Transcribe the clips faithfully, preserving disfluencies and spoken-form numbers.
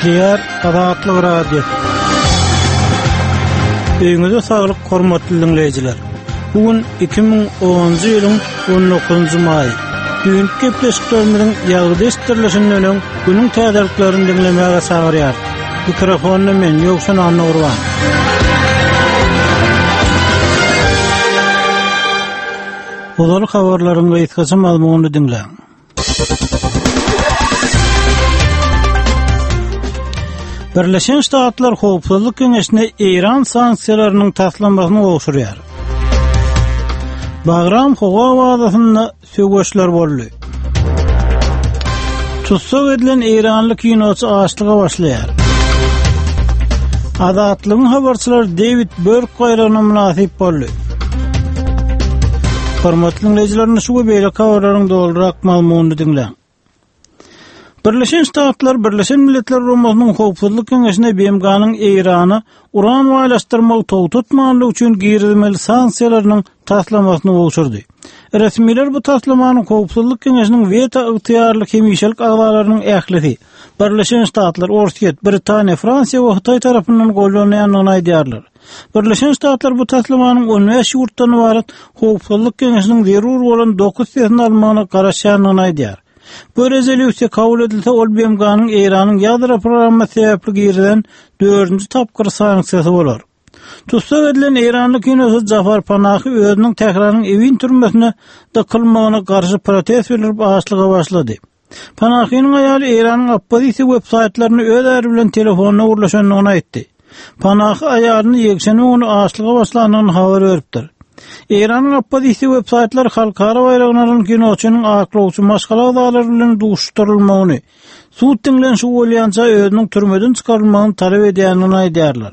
Gepleýär Azatlyk Radiosy. Öýüňize saglyk, hormatly diňleýjiler. Bu gün iki müň onunjy ýylyň on dokuzynjy maýy. Düýnki gepleşiklerimiziň ýazgyda eşitdirilişinden öň günüň täzeliklerini diňlemäge çagyrýarys. Mikrofonda men Ýowşan Annagurban. Ozal habarlaryň gysgaça mazmunyny diňläň. Birleşen Ştatlar Howpsuzlyk Geňeşine Eýran sanksiýalarynyň taslamasyny gowşurýar. Bagram howa bazasynda söweşler boldy. Tussag edilen eýranly kinoçy açlyga başlaýar. Azatlygyň habarçylary Dewid Börk baýragyna mynasyp boldy. Hormatly diňleýjiler, şu we beýleki habarlaryň dolurak mazmunyny diňläň. Birleşen Ştatlar Birleşen Milletler Guramasynyň Howpsuzlyk Geňeşine B M G-nyň Eýrana uran baýlaşdyrmagy togtatmanlygy üçin girizmeli sanksiýalarynyň taslamasyny gowşurdy. Resmiler bu taslamanyň Howpsuzlyk Geňeşiniň weto ygtyýarly hemişelik agzalarynyň ählisi Birleşen Ştatlar, Orsýet, Britaniýa, Fransiýa we Hytaý tarapyndan gollanýandygyny aýdýarlar. Birleşen Ştatlar bu taslamanyň on bäş ýurtdan ybarat Howpsuzlyk Geňeşiniň zerur bolan dokuz sesini almagyna garaşýandygyny aýdýar. Bu rezolýusiýa kabul edilse, ol B M G-nyň Eýranyň ýadro programmasy sebäpli girizilen dördünji tapgyr sanksiýasy bolar. Tussag edilen eýranly kinoçy Jafar Panahi özüniň Tähranyň Ewin türmesine dykylmagyna garşy protest bildirip açlyga başlady. Panahiniň aýaly Eýranyň oppozisiýa web saýtlaryny öz äri bilen telefonda gürleşendigini aýtdy. Panahi aýalyny ýekşenbe güni açlyga başlandygyny habar beripdir. Eýranyň oppozisiýa web saýtlary halkara baýragyny alan kinoçynyň aklawçy maşgala agzalary bilen duşuşdyrylmagyny, sud diňlenişi bolýança özüniň türmeden çykarylmagyny talap edýändigini aýdýarlar.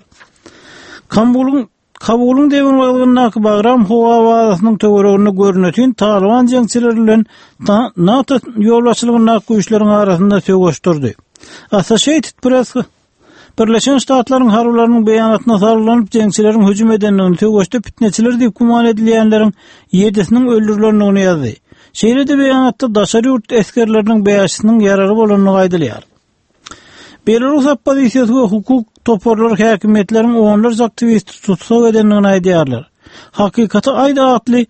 Kabulyň, Kabulyň demirgazygyndaky Bagram howa bazasynyň töwereginde görnetin Talyban jeňçileri bilen Ta-, NATO ýolbaşçylygyndaky güýçleriň arasynda söweş durdy. Associated Press Birleşen Ştatlaryň harbylarynyň beýanatyna salgylanyp jeňçileriň hüjüm edendigini, söweşde pitneçiler diýip güman edilýänleriň ýedisiniň öldürilendigini ýazdy. Şeýle-de beýanatda daşary ýurt esgerleriniň bäşisiniň ýaraly bolandygy aýdylýar. Belarus oppozisiýasy we hukuk toparlary häkimiýetleriň onlarça aktiwisti tussag edendigini aýdýarlar. Hakykaty aýda atly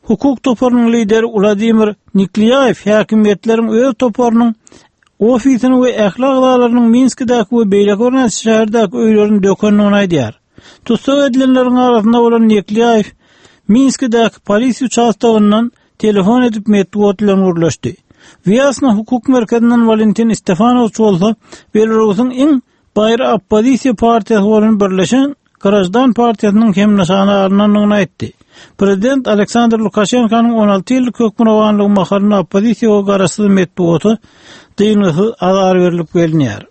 hukuk toparynyň lideri Wladimir Niklýaýew häkimiýetleriň öz toparynyň ofisini we ähli agzalarynyň Minskidäki we beýleki birnäçe şäherdäki öýlerini dökendigini aýdýar. Tussag edilenleriň arasynda bolan Niklýaýew Minskidäki polisiýa uçastogyndan telefon edip metbugat bilen gürleşdi. Wýasna hukuk merkezinden Walentin Stefanowiç bolsa Belarusyň iň baýry oppozisiýa partiýasy bolan Birleşen Grajdan partiýasynyň hem nyşana alynandygyny aýtdy. Prezident Aleksandr Lukaşenkonyň on alty ýyllyk hökmürowanlygy mahalynda oppozisiýa we garaşsyz metbugata dyngysyz azar berlip gelinýär.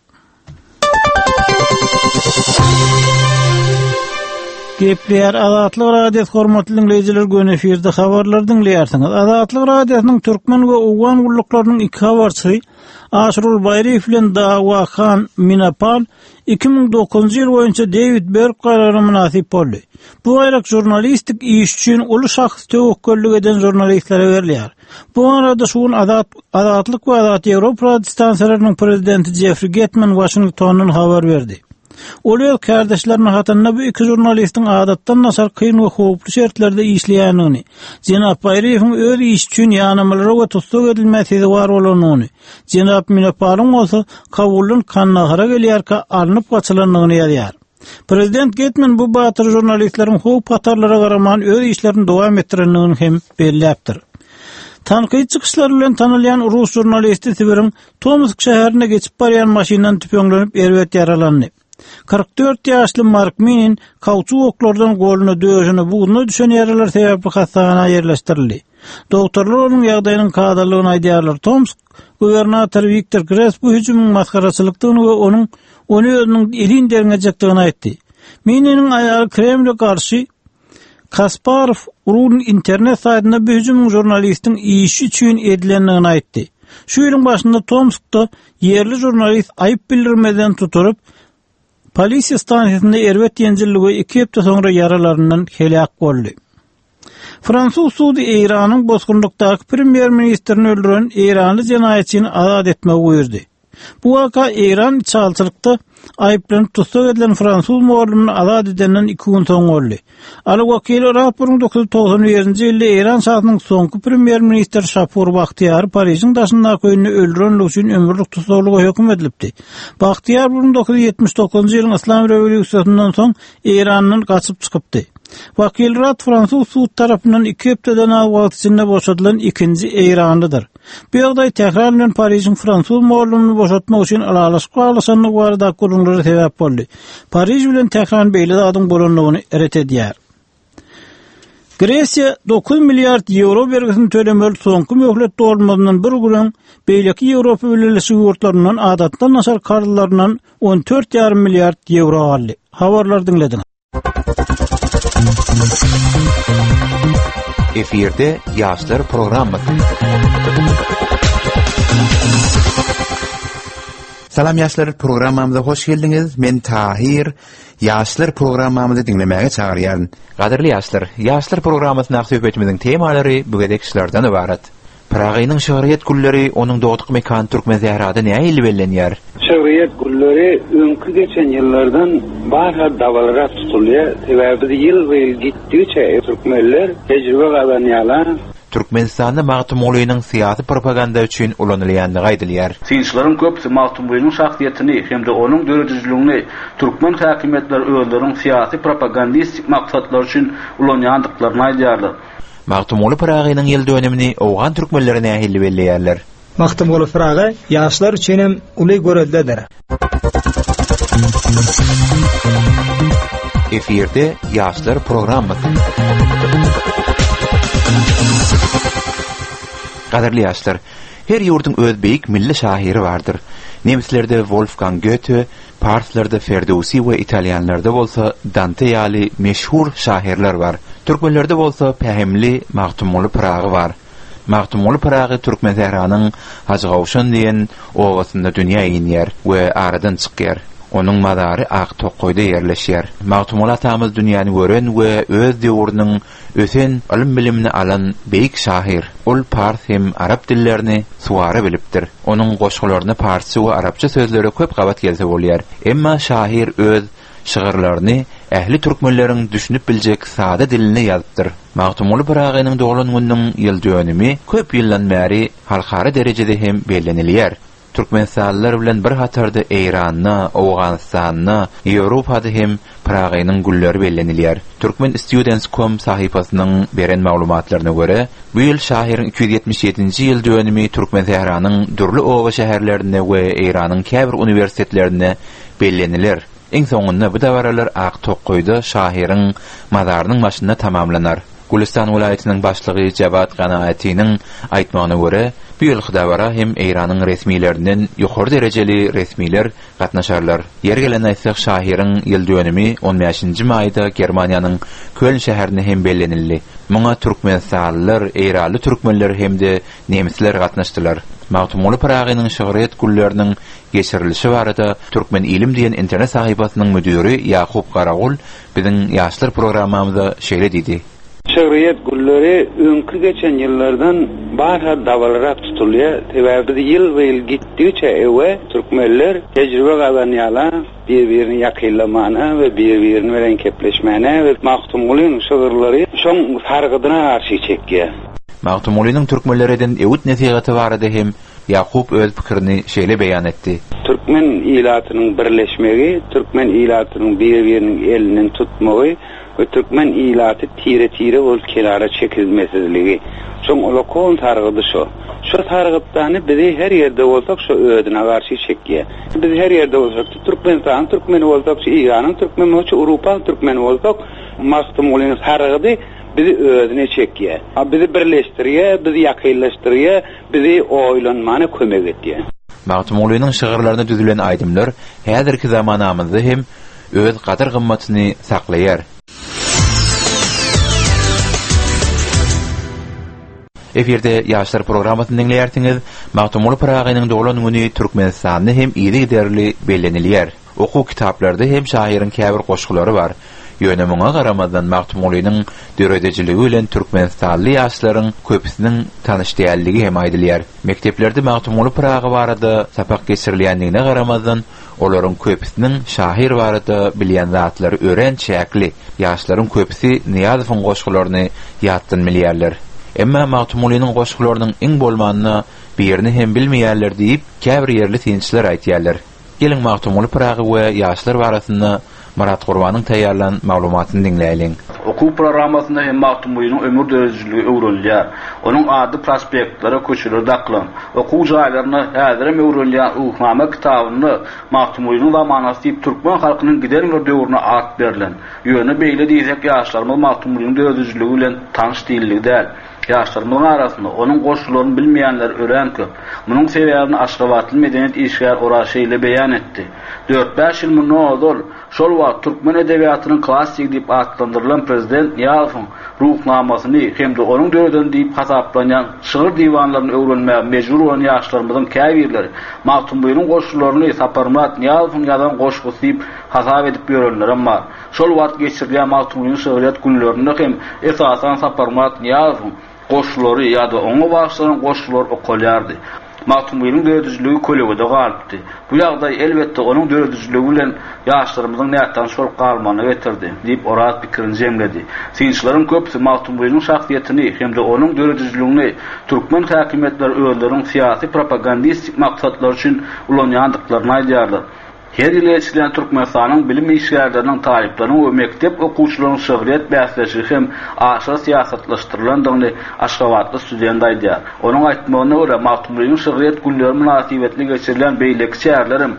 Gepleýär Azatlyk Radiosy, hormatly diňleýjiler, göni efirde habarlar diňleýärsiňiz. Azatlyk Radiosynyň türkmen we owgan gulluklarynyň iki habarçysy Aşyrul Baýryýew bilen Dawa Han Minapal iki müň dokuzynjy ýyl boýunça Dewid Berk baýragyna mynasyp boldy. Bu baýrak žurnalistik iş üçin uly şahs töwekgellik eden žurnalistlere berilýär. Bu arada şu gün Azat, Azatlyk we Azat Ýewropa radio stansiýalarynyň prezidenti Jeffrey Getman Washingtondan habar berdi. Ol öz kardeşleriniň hatarynda bu iki žurnalistiň adatdan daşary kyn we howply şertlerde işleýändigini, Jenap Baýryýewiň öz işi üçin ýanamalara we tussag edilmä sezewar bolandygyny, Jenap Minapalyň bolsa Kabuldan Kandahara gelýärkä alnyp gaçylandygyny ýazýar. Prezident Getman bu batyr žurnalistleriň howp hatarlara garaman öz işlerini dowam etdirendigini hem belläpdir. Tankyt çykyşlary bilen tanalýan rus žurnalisti Sibiriň Tomsk şäherine geçip barýan maşyndan tüpeňlenip erbet ýaralandy. Kyrk dört ýaşly Mark Minin kauçuk oklardan goluna, döşüne, buzuna düşen ýaralar sebäpli hassahana ýerleşdirildi. Doktorlar onuň ýagdaýynyň kadalygyny aýdýarlar. Tomsk gubernatory Wiktor Kres bu hüjümiň masgaraçylykdygyny we onuň ony özüniň elin derňejekdigini aýtdy. Mininiň aýaly Kremle garşy Kasparov Run internet saýtynda bu hüjümiň žurnalistiň işi üçin edilendigini aýtdy. Şu ýylyň başynda Tomskda ýerli žurnalist aýyp bildirmeden tutulyp, polisiýa stansiýasynda erbet ýenjildi we iki hepde soňra ýaralaryndan heläk boldy. Fransuz sudy Eýranyň bosgunlykdaky premýer-ministrini öldüren eýranly jenaýatçyny azat etmegi buýurdy. Bu waka Eýran içalçylykda aýyplanyp tussag edilen fransuz mugallymyny azat edenden iki gün soň boldy. Aly Wakili Rad bir müň dokuz ýüz togsan birinji ýylda Eýran şasynyň soňky premýer-ministri Şapur Bahtiýary Parižiň daşyndaky öýünde öldürenligi üçin ömürlik tussaglyga höküm edilipdi. Bahtiýar bir müň dokuz ýüz ýetmiş dokuzynjy ýylyň Yslam rewolýusiýasyndan soň Eýrandan gaçyp çykypdy. Wakil Rad fransuz sud tarapyndan iki hepdeden az wagt içinde boşadylan ikinji Eýranlydyr. Bu ýagdaý Tähran bilen Parižiň fransuz mugallymyny boşatmak üçin ylalaşyk baglaşandygy barada gürrüňlere sebäp boldy. Pariž bilen Tähran beýle zadyň bolandygyny ret edýär. Gresiýa dokuz milliard ýewro bergisini tölemeli soňky möhlet dolmazyndan bir gün öň beýleki Ýewropa Bileleşigi ýurtlaryndan adatdan daşary karzlaryndan on dört ýarym milliard ýewro aldy. Habarlar diňlediňiz. Efirde Ýaşlar programmasy. Salam ýaşlar, programmamyza hoş geldiňiz. Men Tahir. Ýaşlar programmamyzy diňlemäge çagyrýaryn. Gadyrly ýaşlar, Ýaşlar programmasyndaky söhbetimiziň temalary bu gezek şulardan ybarat. Pyragynyň şygryýet gülleri onuň dogduk mekany Türkmen sährada nähili bellenýär? Şygryýet gülleri öňki geçen ýyllardan barha dabararak tutulýar. Sebäbi biz ýyl-ýyl gitdigiçe türkmenler tejribe gazanýarlar. Türkmenistanda Magtymgulynyň syýasy propaganda üçin ulanylýandygy aýdylýar. Synçylaryň köpüsi Magtymgulynyň şahsyýetini hem-de onuň döredijiligini türkmen häkimiýetleri özleriniň syýasy propagandistik maksatlary üçin ulanýandyklaryny aýdýarlar. Magtymguly Pyragynyň ýyl dönümini Owgan türkmenleri nähili belleýärler? Magtymguly Pyragy ýaşlar üçin hem uly göreldedir. Efirde Ýaşlar programmasy. Gadyrly ýaşlar, her ýurduň öz beýik milli şahyry bardyr. Nemslerde Wolfgang Goethe, parslarda Ferdowsi we italýanlarda bolsa Dante ýaly meşhur şahyrlar bar. Türkmenlerde bolsa pähimli Magtymguly Pyragy bar. Magtymguly Pyragy Türkmen sähranyň Hajygawşan diýen obasynda dünýä inýär we aradan çykýar. Onuň mazary Ak Tokaýda ýerleşýär. Magtymguly atamyz dünýäni gören we öz döwrüniň ösen ylym bilimini alan beýik şahyr. Ol pars hem arap dillerini suwara bilipdir. Onuň goşgularynda parsça we arapça sözlere köp gabat gelse bolýar. Emma şahyr öz şygyrlaryny ähli türkmenleriň düşünip biljek sada dilinde ýazypdyr. Magtymguly Pyragynyň doglan gününiň ýyl dönümi köp ýyldan bäri halkara derejede hem bellenilýär. Türkmenistanlylar bilen bir hatarda Eýranda, Owganystanda, Ýewropada hem Pyragynyň gülleri bellenilýär. Türkmen Students nokta com sahypasynyň beren maglumatlaryna görä, bu ýyl şahyryň iki ýüz ýetmiş ýedinji ýyl dönümi Türkmen sähranyň dürli oba şäherlerinde we Eýranyň käbir uniwersitetlerinde belleniler. Iň soňunda bu dabaralar Ak Tokaýda şahyryň mazarynyň başynda tamamlanar. Gülistan welaýatynyň başlygy Jawad Ganaatiniň aýtmagyna görä, bu ýylky dabara hem Eýranyň resmilerinden ýokary derejeli resmiler gatnaşarlar. Ýer gelen aýtsak, şahyryň ýyl dönümi on bäşinji maýda Germaniýanyň Köln şäherinde hem bellenildi. Muňa Türkmenistanlylar, Eýranly türkmenler hem-de nemsler gatnaşdylar. Magtymguly Pyragynyň şygryýet gülleriniň geçirilişi barada Türkmen ilim diýen internet sahypasynyň müdiri Ýakup Garagul biziň ýaşlar programmamyza şeýle diýdi. Şygryýet gülleri öňki geçen ýyllardan barha dabararak tutulýar. Sebäbi biz ýyl-ýyl gitdigiçe ewe türkmenler tejribe gazanýarlar, bir-birini ýakynlamana we bir-birini bilen kepleşmäne we Magtymgulynyň şygyrlary şoň sargydyna garşy çekýär. Magtymgulynyň türkmenlere eden öwüt nesihaty barada hem Ýakup öz pikirini şeýle beýan etdi. Türkmen ilatynyň birleşmegi, türkmen ilatynyň bir-biriniň elinden tutmagy we türkmen ilaty tire-tire bolup kenara çekilmesizligi. Şoň ulakon sargydy şo. Şo sargytdany bizi her ýerde bolsak şo özüne garşy çekýär. Biz her ýerde bolsak, Türkmenistanyň türkmeni bolsak, Eýranyň türkmeni bolsak, Ewropanyň türkmeni bolsak, Magtymgulynyň sargydy bizi özüne çekýär. Bizi birleşdirýär, bizi ýakynlaşdyrýar, bizi oýlanmana kömek edýär. Magtymgulynyň şygyrlaryna düzülen aýdymlar häzirki zamanamyzda hem öz gadyr gymmatyny saklaýar. Efirde Ýaşlar programmasyny diňleýärsiňiz. Magtymguly Pyragynyň doglan güni Türkmenistanda hem yzygiderli bellenilýär. Okuw kitaplarda hem şahyryň käbir goşgulary bar. Ýöne muňa garamazdan Magtymgulynyň döredijiligi bilen Türkmenistanly ýaşlaryň köpüsiniň tanyş dälligi hem aýdylýar. Mekdeplerde Magtymguly Pyragy barada sapak geçirilýändigine garamazdan, olaryň köpüsiniň şahyr barada bilýän zatlary örän çäkli. Ýaşlaryň köpüsi Nyýazowyň goşgularyny ýatdan bilýärler. Emma Magtymgulynyň goşgularynyň iň bolmanda birini hem bilmeýärler diýip, käbir ýerli synçylar aýtýarlar. Geliň Magtymguly Pyragy we ýaşlar barasynda Myrat Gurbanyň taýýarlan maglumatyny diňläýliň. Okuw programmasynda hem Magtymgulynyň ömür döredijiligi öwrenilýär. Onuň ady prospektlere, köçelere dakylan. Okuw jaýlarynda häzirem öwrenilýän Ruhnama kitabynda Magtymgulynyň zamanasy diýip türkmen halkynyň giden bir döwrüne at berlen. Ýöne beýle diýsek ýaşlarymyz Magtymgulynyň döredijiligi bilen tanyş diýildigi däl. Ýaşlarymyzyň arasynda onuň goşgularyny bilmeýänler örän köp. Munuň sebäbini Aşgabatly medeniýet işgäri Oraz şeýle beýan etdi. Dört-bäş ýyl mundan ozal şol wagt türkmen edebiýatynyň klassigi diýip atlandyrylan prezident Nyýazowyň ruhnamasyny hem-de onuň döreden diýip hasaplanýan şygyr diwanlaryny öwrenmäge mejbur bolan ýaşlarymyzyň käbirleri Magtymgulynyň goşgularyny Saparmyrat Nyýazowyň ýazan goşgusy diýip hasap edip ýörenlerem bar. Şol wagt geçirilýän Magtymgulynyň şygryýet günlerinde hem esasan Saparmyrat Nyýazowyň goşgulary ýa-da oňa bagyşlanan goşgular okalýardy. Magtymgulynyň döredijiligi kölegede galypdy. Bu ýagdaý elbetde onuň döredijiligi bilen ýaşlarymyzyň nätanyş bolup galmagyna getirdi, diýip Oraz pikirini jemledi. Synçylaryň köpüsi Magtymgulynyň şahsyýetini hem-de onuň döredijiligini türkmen häkimiýetleri özleriniň syýasy propagandistik maksatlary üçin ulanýandyklaryny aýdýarlar. Her ýyl geçirilýän Türkmenistanyň bilim işgärleriniň, talyplarynyň we mekdep okuwçylarynyň şygryýet bäsleşigi hem aşa syýasatlaşdyrylandygyny Aşgabatly student aýdýar. Onuň aýtmagyna görä, Magtymgulynyň şygryýet günleri mynasybetli geçirilýän beýleki çäreler hem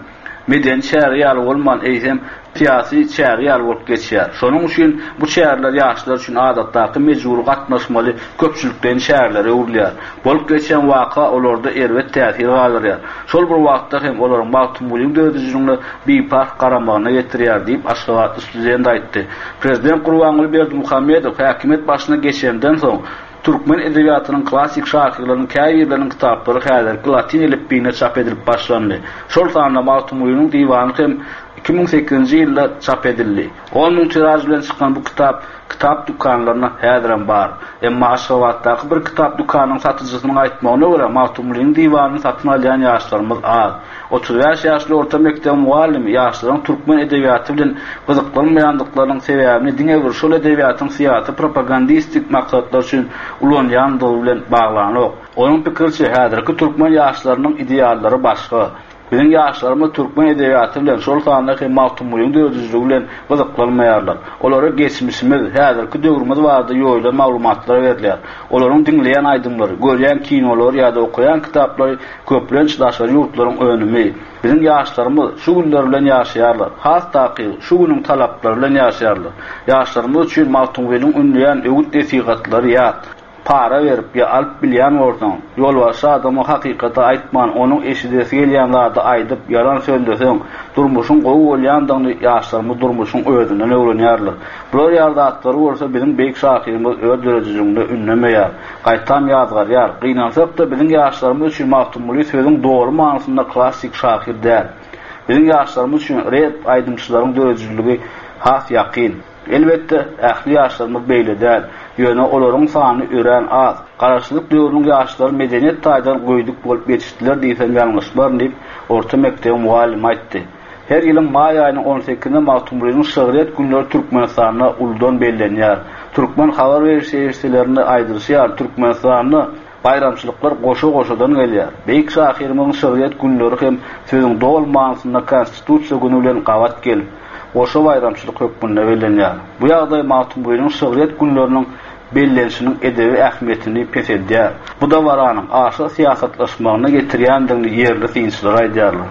medeni çäre ýaly bolman, eýsem syýasy çäre ýaly bolup geçýär. Şonuň üçin bu çäreler ýaşlar üçin adatdaky mejbury gatnaşmaly köpçülikleýin çärelere öwrülýär. Bolup geçen waka olarda erbet täsir galdyrýar. Şol bir wagtda hem olaryň Magtymgulynyň döredijiligine biparh garamagyna getirýär diýip Aşgabatly student aýtdy. Prezident Gurbanguly Berdimuhamedow häkimiýet başyna geçenden soň türkmen edebiýatynyň klassik şahyrlarynyň käbirleriniň kitaplary häzirki latyn elipbiýinde çap edilip başlandy. Şol sanda Magtymgulynyň diwany hem iki müň sekizinji ýylda çap edildi. On müň tiraž bilen çykan bu kitap kitap dükanlarynda häzirem bar. Emma Aşgabatdaky bir kitap dükanynyň satyjysynyň aýtmagyna görä Magtymgulynyň diwanyny satyn alýan ýaşlarymyz az. Otuz bäş ýaşly orta mekdebiň mugallymy ýaşlaryň türkmen edebiýaty bilen gyzyklanmaýandyklarynyň sebäbini diňe bir şol edebiýatyň syýasy propagandistik maksatlar üçin ulanýandygy bilen baglanok. Onuň pikiriçe häzirki türkmen ýaşlarynyň ideallary başga. Biziň ýaşlarymyz türkmen edebiýaty bilen, şol sanda hem Magtymgulynyň döredijiligi bilen gyzyklanmaýarlar. Olara geçmişimiz, häzirki döwrümiz barada ýoýulan maglumatlar berilýär. Olaryň diňleýän aýdymlary, görýän kinolary ýa-da okaýan kitaplary köplenç daşary ýurtlaryň önümi. Biziň ýaşlarymyz şu günler bilen ýaşaýarlar. Has takygy şu günüň talaplary bilen ýaşaýarlar. Ýaşlarymyz üçin Magtymgulynyň ündeýän öwüt nesihatlary ýat. Para berip ýa alyp bilýän bolsaň, ýolbaşçy adama hakykaty aýtman, onuň eşidesi gelýän zady aýdyp, ýalan sözleseň, durmuşyň gowy bolýandygyny ýaşlarymyz durmuşyň özünden öwrenýärler. Bular ýaly zatlary bolsa biziň beýik şahyrymyz öz döredijiliginde ündemeýär. Gaýtam ýazgarýar. Gynansak-da biziň ýaşlarymyz üçin Magtymguly sözüň dogry manysynda klassik şahyr däl. Biziň ýaşlarymyz üçin rap aýdymçylaryň döredijiligi has ýakyn. Elbetde, ähli ýaşlarymyz beýle däl. Ýöne olaryň sany örän az. Garaşsyzlyk döwrüniň ýaşlary medeniýet taýdan göýdük bolup ýetişdiler diýsem ýalňyşmaryn diýip, orta mekdebiň mugallymy aýtdy. Her ýylyň maý aýynyň on sekizinde Magtymgulynyň şygryýet günleri Türkmenistanda uludan bellenýär. Türkmen habar beriş serişdelerinde aýdylyşy ýaly, Türkmenistanda baýramçylyklar goşa-goşadan gelýär. Beýik şahyrymyzyň şygryýet günleri hem sözüň doly manysynda Konstitusiýa güni bilen gabat gelip, goşa baýramçylyk hökmünde bellenýär. Bu ýagdaý Magtymgulynyň şygryýet günleriniň bellenişiniň edebi ähmiýetini peseldýär. Bu dabaranyň aşa syýasatlaşmagyna getirýändigini ýerli synçylar aýdýarlar.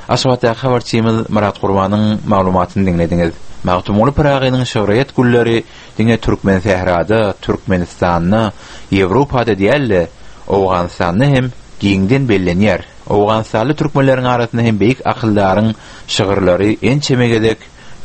Aşgabatdaky habarçymyz Myrat Gurbanyň maglumatyny diňlediňiz. Magtymguly Pyragynyň şygryýet günleri diňe Türkmen sährada, Türkmenistanda, Ýewropada däl-de, Owganystanda hem giňden bellenýär. Owganistanly türkmenleriň arasynda hem beýik akyldaryň şygyrlary ençeme gezek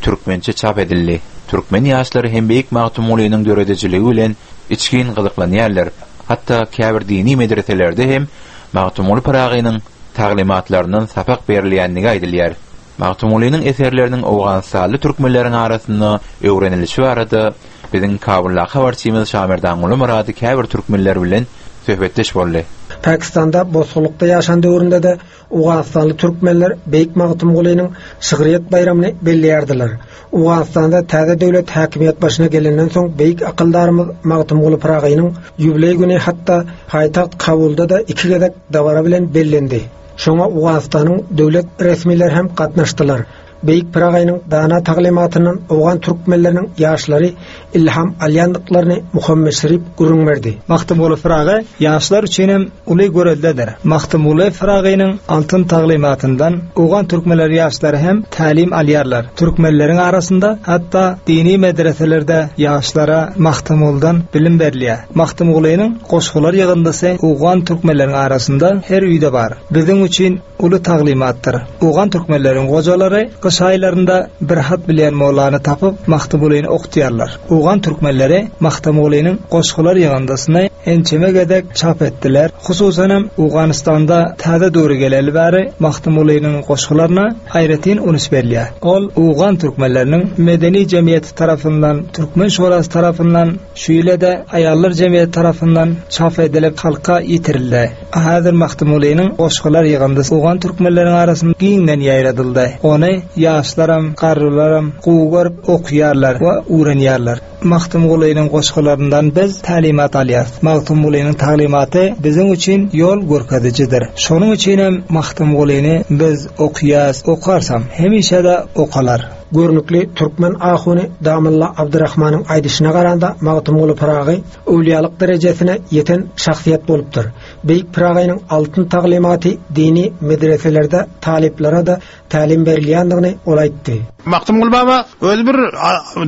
türkmençe çap edildi. Türkmen ýaşlary hem beýik Magtymgulynyň döredijiligi bilen içgin gyzyklanýarlar. Hatda käbir dini medreselerde hem Magtymguly Pyragynyň taglymatlaryndan sapak berilýändigi aýdylýar. Magtymgulynyň eserleriniň Owganystanly türkmenleriň arasynda öwrenilişi barada biziň Kabuldaky habarçymyz Şamerdanguly Murady käbir türkmenler bilen söhbetdeş boldy. Pakistanda bosgunlykda ýaşan döwründe de Owganystanly türkmenler Beýik Magtymgulynyň şygryýet baýramyny belleýärdiler. Owganystanda täze döwlet häkimiýet başyna gelenden soň beýik akyldarymyz Magtymguly Pyragynyň ýubileý güni hatda paýtagt Kabulda da iki gezek dabara bilen bellendi. Şoňa Owganystanyň döwlet resmileri hem gatnaşdylar. Beýik Pyragynyň dana taglymatyndan Owgan türkmenleriniň ýaşlary ilham alýandyklaryny Muhammet Şerif gürrüň berdi. Magtymguly Pyragy ýaşlar üçin hem uly göreldedir. Magtymguly Pyragynyň altyn taglymatyndan Owgan türkmenleri ýaşlary hem tälim alýarlar. Türkmenleriň arasynda hatda dini medreselerde ýaşlara Magtymgulydan bilim berilýär. Magtymgulynyň goşgular ýygyndysy Owgan türkmenleriniň arasynda her öýde bar. Biziň üçin uly taglymatdyr. Owgan türkmenleriň gojalary gyş aýlarynda bir hat bilýän mollany tapyp Magtymgulyny okutýarlar. Owgan türkmenleri Magtymgulynyň goşgular ýygyndysyny ençeme gezek çap etdiler. Hususan hem Owganystanda täze döwre geleli bäri Magtymgulynyň goşgularyna aýratyn üns berilýär. Ol Owgan türkmenleriniň medeni jemgyýeti tarapyndan, Türkmen şurasy tarapyndan, şeýle-de aýallar jemgyýeti tarapyndan çap edilip halka ýetirildi. Häzir Magtymgulynyň goşgular ýygyndysy Owgan türkmenleriniň arasynda giňden ýaýradyldy. Ony ýaşlaram, garrylaram gowy görüp okuýarlar we öwrenýärler. Magtymgulynyň goşgularyndan biz tälimat alýarys. Magtymgulynyň taglymaty biziň üçin ýol görkezijidir. Şonuň üçin hem Magtymgulyny biz okuýas, okarsam hemişe-de okalar. Görnükli türkmen ahuny Damylla Abdurrahmanyň aýdyşyna garanda Magtymguly Pyragy öwliýalyk derejesine ýeten şahsyýet bolupdyr. Beýik Pyragynyň altyn taglymaty dini medreselerde talyplara da tälim berilýändigini ol aýtdy. Magtymguly baba öz bir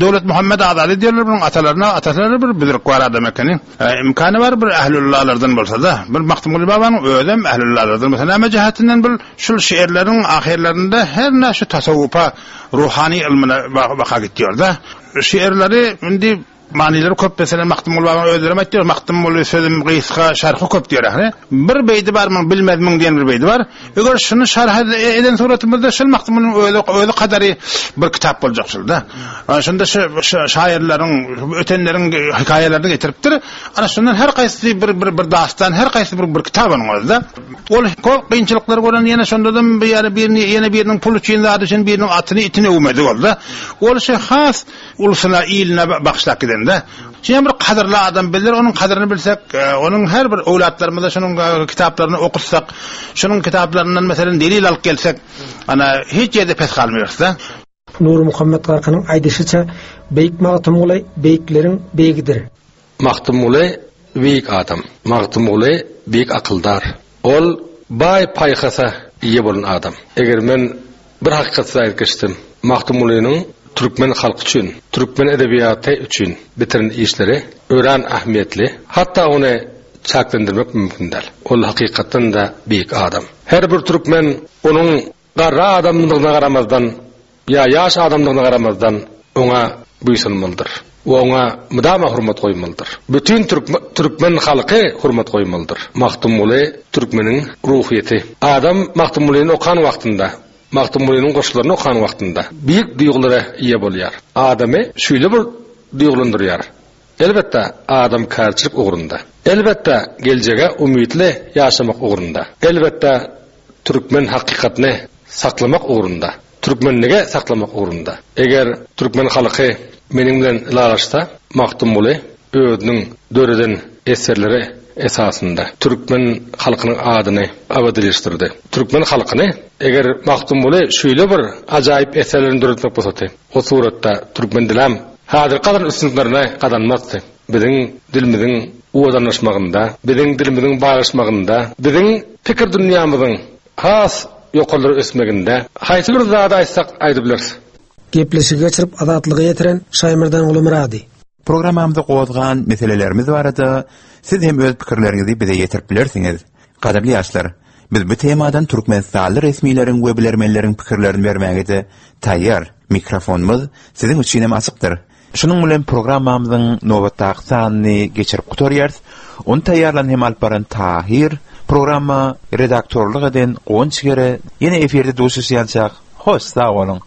Döwlet Muhammed Azady diýerler bunun atalaryna, atalary bir büzrük bar adam ekeni. E, imkany bar bir ählüllalardan bolsa da, bir Magtymguly babanyň özem ählüllalardan bolsa näme jihatinden bir şul şiirleriň ahirlerinde her näşe tasawwufa ruhani ilmine baka gitdiyor da. Şiirleri indi manileri köp mesela Magtymguly babanyň özleri aýtdy, Magtymguly sözüm gysga, şerhi köp diýer ahre. Bir beýdi bar, men bilmez müň diýen bir beýdi bar. Eger şunu şerh eden suratymyzda şul Magtymgulynyň özi özi kadary bir kitap boljak şulda. Şunda şu şairleriň, ötenleriň hekaýalaryny getiripdir. Ana şundan her haýsy bir bir bir dastan, her haýsy bir bir kitap onuň özü. Ol köp kynçylyklar gören ýene şonda bir ýere birini ýene biriniň pul üçin zady üçin biriniň atyny itini öwmedi boldy. Ol şey has ulusuna iline bakışlak gidende. Şimdi bir kadırlı adam bilir, onun kadrını bilsek, onun her bir evlatlarımıza şunun kitaplaryny okutsak, şunun kitaplarından mesela delil alıp gelsek, ana hiç yerde pes kalmıyoruz da. Nur Muhammed Garkynyň aýdyşyça Beýik Magtymguly beýikleriň beýigidir. Magtymguly beýik adam. Magtymguly beýik akyldar. Ol baý paýhasa eýe bolan adam. Eger men bir hakykat aýdyp geçdim, Magtymgulynyň türkmen halky üçin, türkmen edebiýaty üçin bitiren işleri örän ähmiýetli. Hatda ony çaklandyrmak mümkin däl. Ol hakykatdan da beýik adam. Her bir türkmen onuň garry adamdygyna garamazdan ýa ýaş adamdygyna garamazdan oňa buýsanmalydyr. We oňa mudama hurmat goýmalydyr. Bütün türkmen halky hurmat goýmalydyr. Magtymguly türkmeniň ruhyýeti. Adam Magtymgulyny okan wagtynda, Magtymgulynyň goşgularyny okan wagtynda beýik duýgulara eýe bolýar. Adamy şeýle bir duýgulandyrýar. Elbetde adam kärçilik ugrunda. Elbetde geljege umytly ýaşamak ugrunda. Elbetde türkmen hakykatyny saklamak ugrunda. Türkmenlige saklamak ugrunda. Eger türkmen halky meniň bilen ylalaşsa, Magtymguly özüniň döreden eserleri esasynda türkmen halkynyň adyny abadyllaşdyrdy. Türkmen halkyny eger Magtymguly şeýle bir ajaýyp eserlerini döretmek bolsady, o suratda türkmen dilam häzir gadan üstünliklerine gazanmazdy. Biziň dilimiziň uwadanlaşmagynda, biziň dilimiziň baýlaşmagynda, biziň pikir dünýämiziň has ýokarlara ösmeginde haýsy bir zady aýtsak aýdyp bileris. Gepleşigi geçirip azatlyga ýetiren Şaýmerdanguly Murady. Programamyzda gozgan meselelerimiz barada siz hem öz pikirleriňizi bize ýetirip bilersiňiz. Gadyrly ýaşlar, biz bu temadan Türkmenistanly resmileriň we bilermenleriň pikirlerini bermäge de taýýar. Mikrofonumyz siziň üçin hem açykdyr. Şunuň bilen programmamyzyň nobatdaky sanyny geçirip gutarýarys. Ony taýýarlan hem alyp baran Tahir, programma redaktorlyk eden Gonç Gere, ýene efirde duşuşýançak Hoş sag boluň.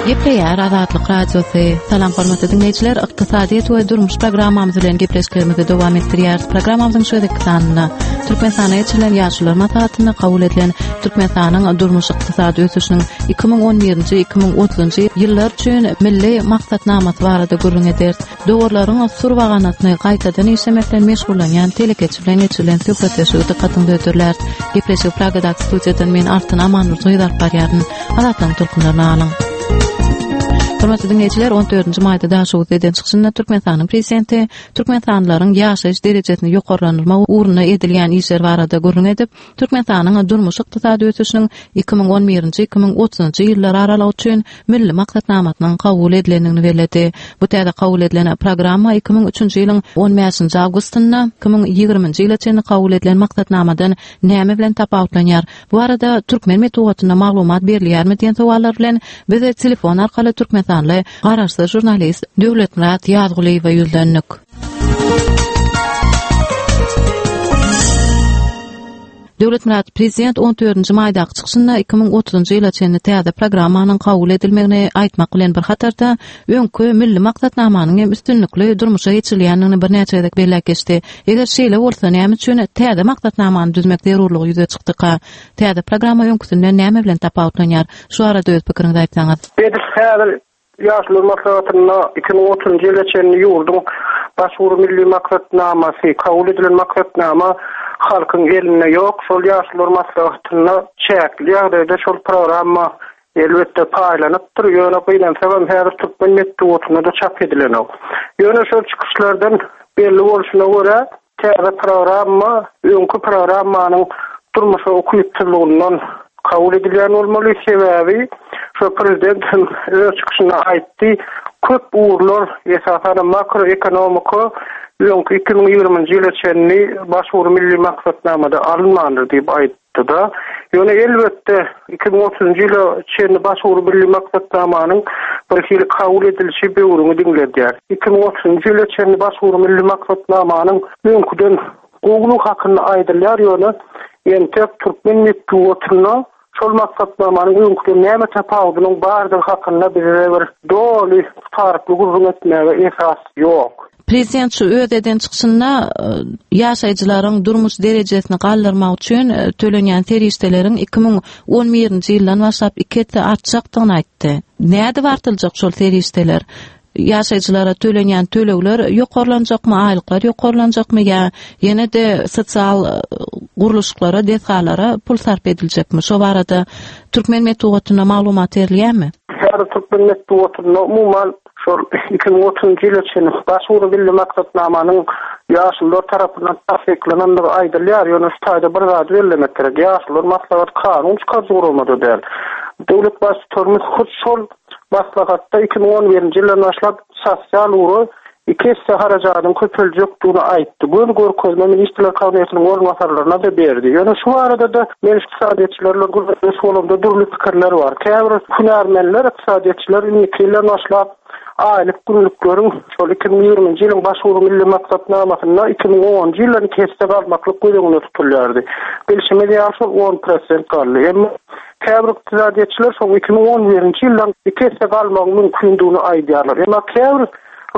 Gepleýär Azatlyk Radiosy. Salam hormatly dinleýjiler, ykdysadyýet we durmuş programmamyz bilen gepleşiklerimizi dowam etdirýäris. Programmamyzyň şu gezekki sanynda Türkmenistana geçirilen ýaşulular maslahatynda kabul edilen Türkmenistanyň durmuş ykdysady ösüşiniň iki müň on birinji iki müň otuzynjy ýyllar üçin milli maksatnamasy barada gürrüň ederis. Dowarlaryň surbaganasyny gaýtadan işlemek bilen meşgullanýan telekeçi bilen geçirilen söhbetdeşligi dykgatyňyza hödürläris. Gepleşigi Pragadaky studiýadan men Altyn Amanurdy alyp barýaryn. Azatlygyň tolkunlaryny alyň. Hormatly dinleýjiler, on dördünji maýda Daşoguzda eden çykyşynda Türkmenistanyň prezidenti Türkmenistanlylaryň ýaşaýyş derejesini ýokarlandyrmak ugrunda edilýän işler barada gürrüň edip, Türkmenistanyň durmuş ykdysady ösüşiniň iki müň on birinji iki müň otuzynjy ýyllar aralygy üçin milli maksatnamasynyň kabul edilendigini belledi. Bu täze kabul edilen programma iki müň üçünji ýylyň on bäşinji awgustynda iki müň ýigriminji ýyla çenli kabul edilen maksatnamadan näme bilen tapawutlanýar? Bu arada türkmen metbugatynda maglumat berilýärmi diýen sowallar bilen biz telefon arkaly Türkmenistanly garaşsyz žurnalist Döwletmyrat Ýazgulyýewe ýüzlendik. Döwletmyrat, prezident on dördünji maýdaky çykyşynda iki müň otuzynjy ýyla çenli täze programmanyň kabul edilmegini aýtmak bilen bir hatarda öňki milli maksatnamanyň hem üstünlikli durmuşa geçirilýändigini birnäçe gezek belläp geçdi. Eger şeýle bolsa, näme üçin täze maksatnamany düzmek zerurlygy ýüze çykdyka? Täze programma öňküsinden näme bilen tapawutlanýar? Şu arada öz pikiriňizi aýtsaňyz. Edil häzir ýaşlar maslahatynda iki müň otuzynjy ýyla çenli ýurduň baş ugur milli maksatnamasy, kabul edilen maksatnama halkyň elinde ýok. Şol ýaşlar maslahatynda çäkli ýagdaýda şol programma elbetde paýlanypdyr. Ýöne gynansagam häzir türkmen metbugatynda da çap edilenok. Ýöne şol çykyşlardan belli bolşuna görä täze programma öňki programmanyň durmuşa ukypsyzlygyndan kabul edilýän bolmaly. Sebäbi şu prezident hem öz çykyşynda aýtdy, köp ugurlar esasan makroekonomika öňki iki müň ýigriminji ýyla çenli baş ugur milli maksatnamada alynmandyr diýip aýtdy-da. Ýöne elbetde iki müň otuzynjy ýyla çenli baş ugur milli maksatnamanyň bir hili kabul edilişi böwrüňi diňledýär. Iki müň otuzynjy ýyla çenli baş ugur milli maksatnamanyň öňküden gowulyk hakynda aýdylýar, ýöne entek türkmen metbugatynda şol maksatnamanyň öňküden näme tapawudynyň bardygy hakynda bize bir doly tutarykly gürrüň etmäge esas ýok. Prezident şu öz eden çykyşynda, e, ýaşaýjylaryň durmuş derejesini galdyrmak üçin, e, tölenýän serişdeleriň iki müň on birinji ýyldan başlap iki esse artjakdygyny aýtdy. Näde artyljak şol serişdeler? Ýaşaýjylara tölenýän tölegler ýokarlanjakmy, aýlyklar ýokarlanjakmy ýa ýene-de sosial, e, gurluşyklara, desgalara pul sarp ediljekmi? Şo barada türkmen metbugatynda maglumat berilýärmi? Häzir türkmen metbugatynda umuman şol iki müň otuzynjy ýyla çenli baş ugur milli maksatnamanyň ýaşulular tarapyndan tassyklanandygy aýdylýar. Ýöne şu taýda bir zady bellemek gerek. Ýaşulular maslahat kanun çykaryjy guramada däl. Döwlet baştutanymyz hut şol maslahatda iki müň on birinji ýyldan başlap sosial ugra iki esse harajadyň köpeljekdigini aýtdy. Göz görkezme ministrler kabinetiniň orunbasarlaryna da berdi. Ýöne şu arada da men ykdysadyýetçilerle gürrüňdeş bolamda dürli pikirler bar. Käbir hünärmenler, ykdysadyýetçiler indiki ýyldan başlap aýlyk günlükleriň şol iki müň ýigriminji ýylyň baş ugur milli maksatnamasynda iki müň onunjy ýyldan iki esse galmaklyk göz öňünde tutulýardy. Bilşimiz ýaly şol on prosent galdy. Emma käbir ykdysadyýetçiler şol iki müň on birinji ýyldan iki esse galmagyň mümkindigini aýdýarlar. Emma käbir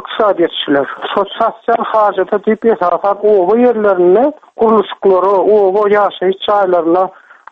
ykdysadyýetçiler şol sosial hajata diýip esasan oba ýerlerinde gurluşyklara, oba ýaşaýyş jaýlaryna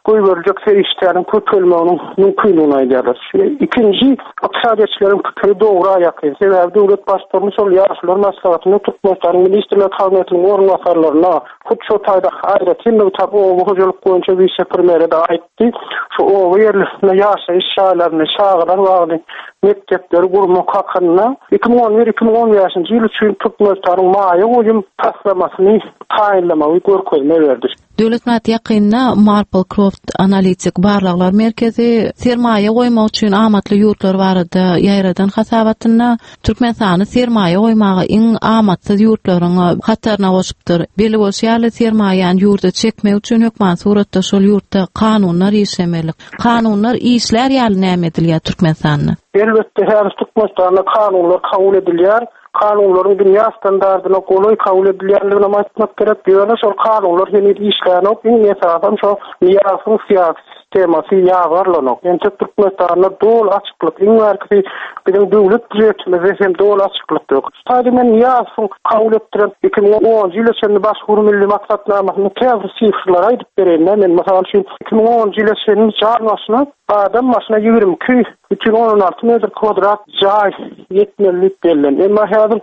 goýberiljek serişdeleriň köpelmeginiň mümkindigini aýdýarlar. Ikinji ykdysadyýetçileriň pikiri dogry ýakyn. Sebäbi döwlet baştutanymyz şol ýaşulular maslahatynda Türkmenistanyň Ministrler Kabinetiniň orunbasarlaryna hut şo taýda aýratyn nygtap oba hojalyk boýunça wise-premýere-de aýtdy. Şu oba ýerlerinde ýaşaýyş jaýlaryny, çagalar bagyny, mekdepleri gurmak hakynda iki müň on bir iki müň on bäşinji ýyl üçin Türkmenistanyň maýa goýum taslamasyny taýynlamagy görkezme berdi. Döwletmyrat, ýakynda Maplecroft Analitik Barlaglar Merkezi sermaýa goýmak üçin amatly ýurtlar barada ýaýradan hasabatynda Türkmenistany sermaýa goýmaga iň amatsyz ýurtlaryň hataryna goşupdyr. Belli bolşy ýaly, sermaýany ýurda çekmek üçin hökman suratda şol ýurtda kanunlar işlemeli. Kanunlar işler ýaly näme edilýär Türkmenistanda? Elbetde, häzir Türkmenistanda kanunlar kabul edilýär. Kanunlaryň dünýä standardyna golaý kabul edilýändigini aýtmak gerek. Ýöne şol kanunlar heniz işlänok. Iň esasan şo Nyýazowyň syýasy sistemasy ýazgarlanok. Entek Türkmenistanda doly açyklyk, iň bärkisi biziň döwlet býujetimizde hem doly açyklyk ýok. Taýda men Nyýazowyň kabul etdiren iki müň onunjy ýyla çenli baş ugur milli maksatnamasyny käbir sifrlere aýdyp bereýin. Men mysal üçin iki müň onunjy ýyla çenli jan başyna adam başyna ýigrimi iki bütün on alty metr kwadrat jaý ýetmelilik bellen. Emma häzir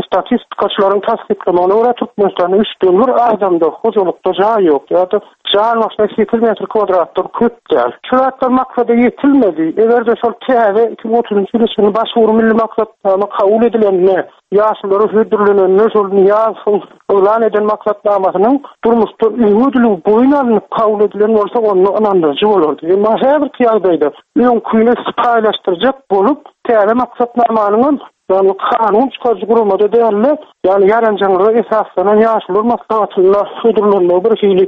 statistikaçylaryň tassyklamagyna görä Türkmenistanda üçden bir adamda hojalykda jaý ýok ýa-da jan başyna sekiz metr kwadratdan köp däl. Şu zatlar maksada ýetilmedi. Eger-de şol täze iki müň otuzynjy ýyl üçin baş ugur milli maksatnama kabul edilende, ýaşlara hödürlenende şol Nyýazowyň yglan eden maksatnamasynyň durmuşda öňe boýun alnyp kabul edilen bolsa onda ynandyryjy bolardy. Emma häzirki ýagdaýda öňküni paýlaşdyrjak bolup täze maksatnamanyň ýagny kanun çykaryjy guramada däl-de, ýagny ýaranjaňlyga esaslanan ýaşlar maslahatynda hödürlenmegi bir hili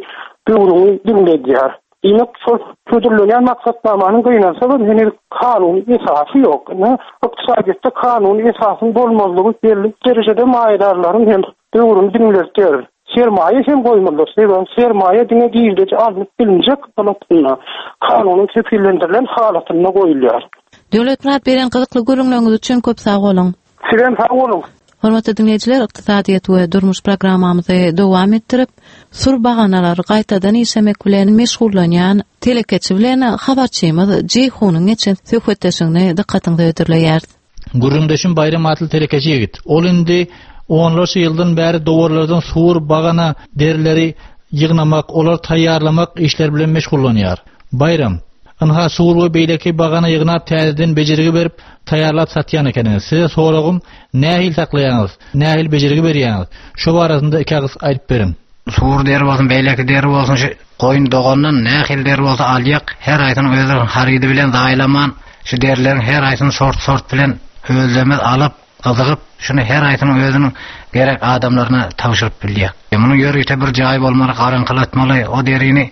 döwrüni diňledýär. Diýmek, şol hödürlenýän maksatnamanyň gynansa da heniz kanuny esasy ýok. Ine, ykdysadyýetde kanuny esasyň bolmazlygy belli derejede maýadarlaryň hem döwrüni diňletýär. Sermaýa hem goýmalydyr. Sebäbi sermaýa diňe girdeji alnyp bilinjek halatynda, kanunyň kepillendirilen halatynda goýulýar. Döwletmyrat beren gyzykly gürrüňleriňiz üçin köp sag boluň. Sizem sag boluň. Hormatly dinleýjiler, ykdysadyýet we durmuş programmamyzy dowam etdirip, sur baganalary gaýtadan işlemek bilen meşgullanýan telekeçi bilen habarçymyz Jeýhunyň geçen söhbetdeşligini dykgatyňyza hödürleýäris. Gürrüňdeşim Baýram atly telekeçi ýigit. Ol indi onlarça ýyldan bäri dowarlardan sur bagana derileri ýygnamak, olar taýýarlamak işleri bilen meşgullanýar. Baýram, ynha sur we beýleki bagana ýygnap täzeden bejergi berip taýýarlap satýan ekeniňiz. Size soragym, nähili saklaýaňyz, nähili bejergi berýäňiz? Şu barasynda iki agyz aýdyp beriň. Sur deri bolsun, beýleki deri bolsun, şu goýun dogandan nähili deri bolsa alýak, her aýsyny özleri harydy bilen zaýlaman, şu derileriň her aýsyny sort-sort bilen özlerimiz alyp, gyzygyp, şunu her aýsynyň özüniň gerek adamlaryna tabşyryp bilýär. Munuň ýörite bir jaý bolmaly, garaňkylatmaly, o derini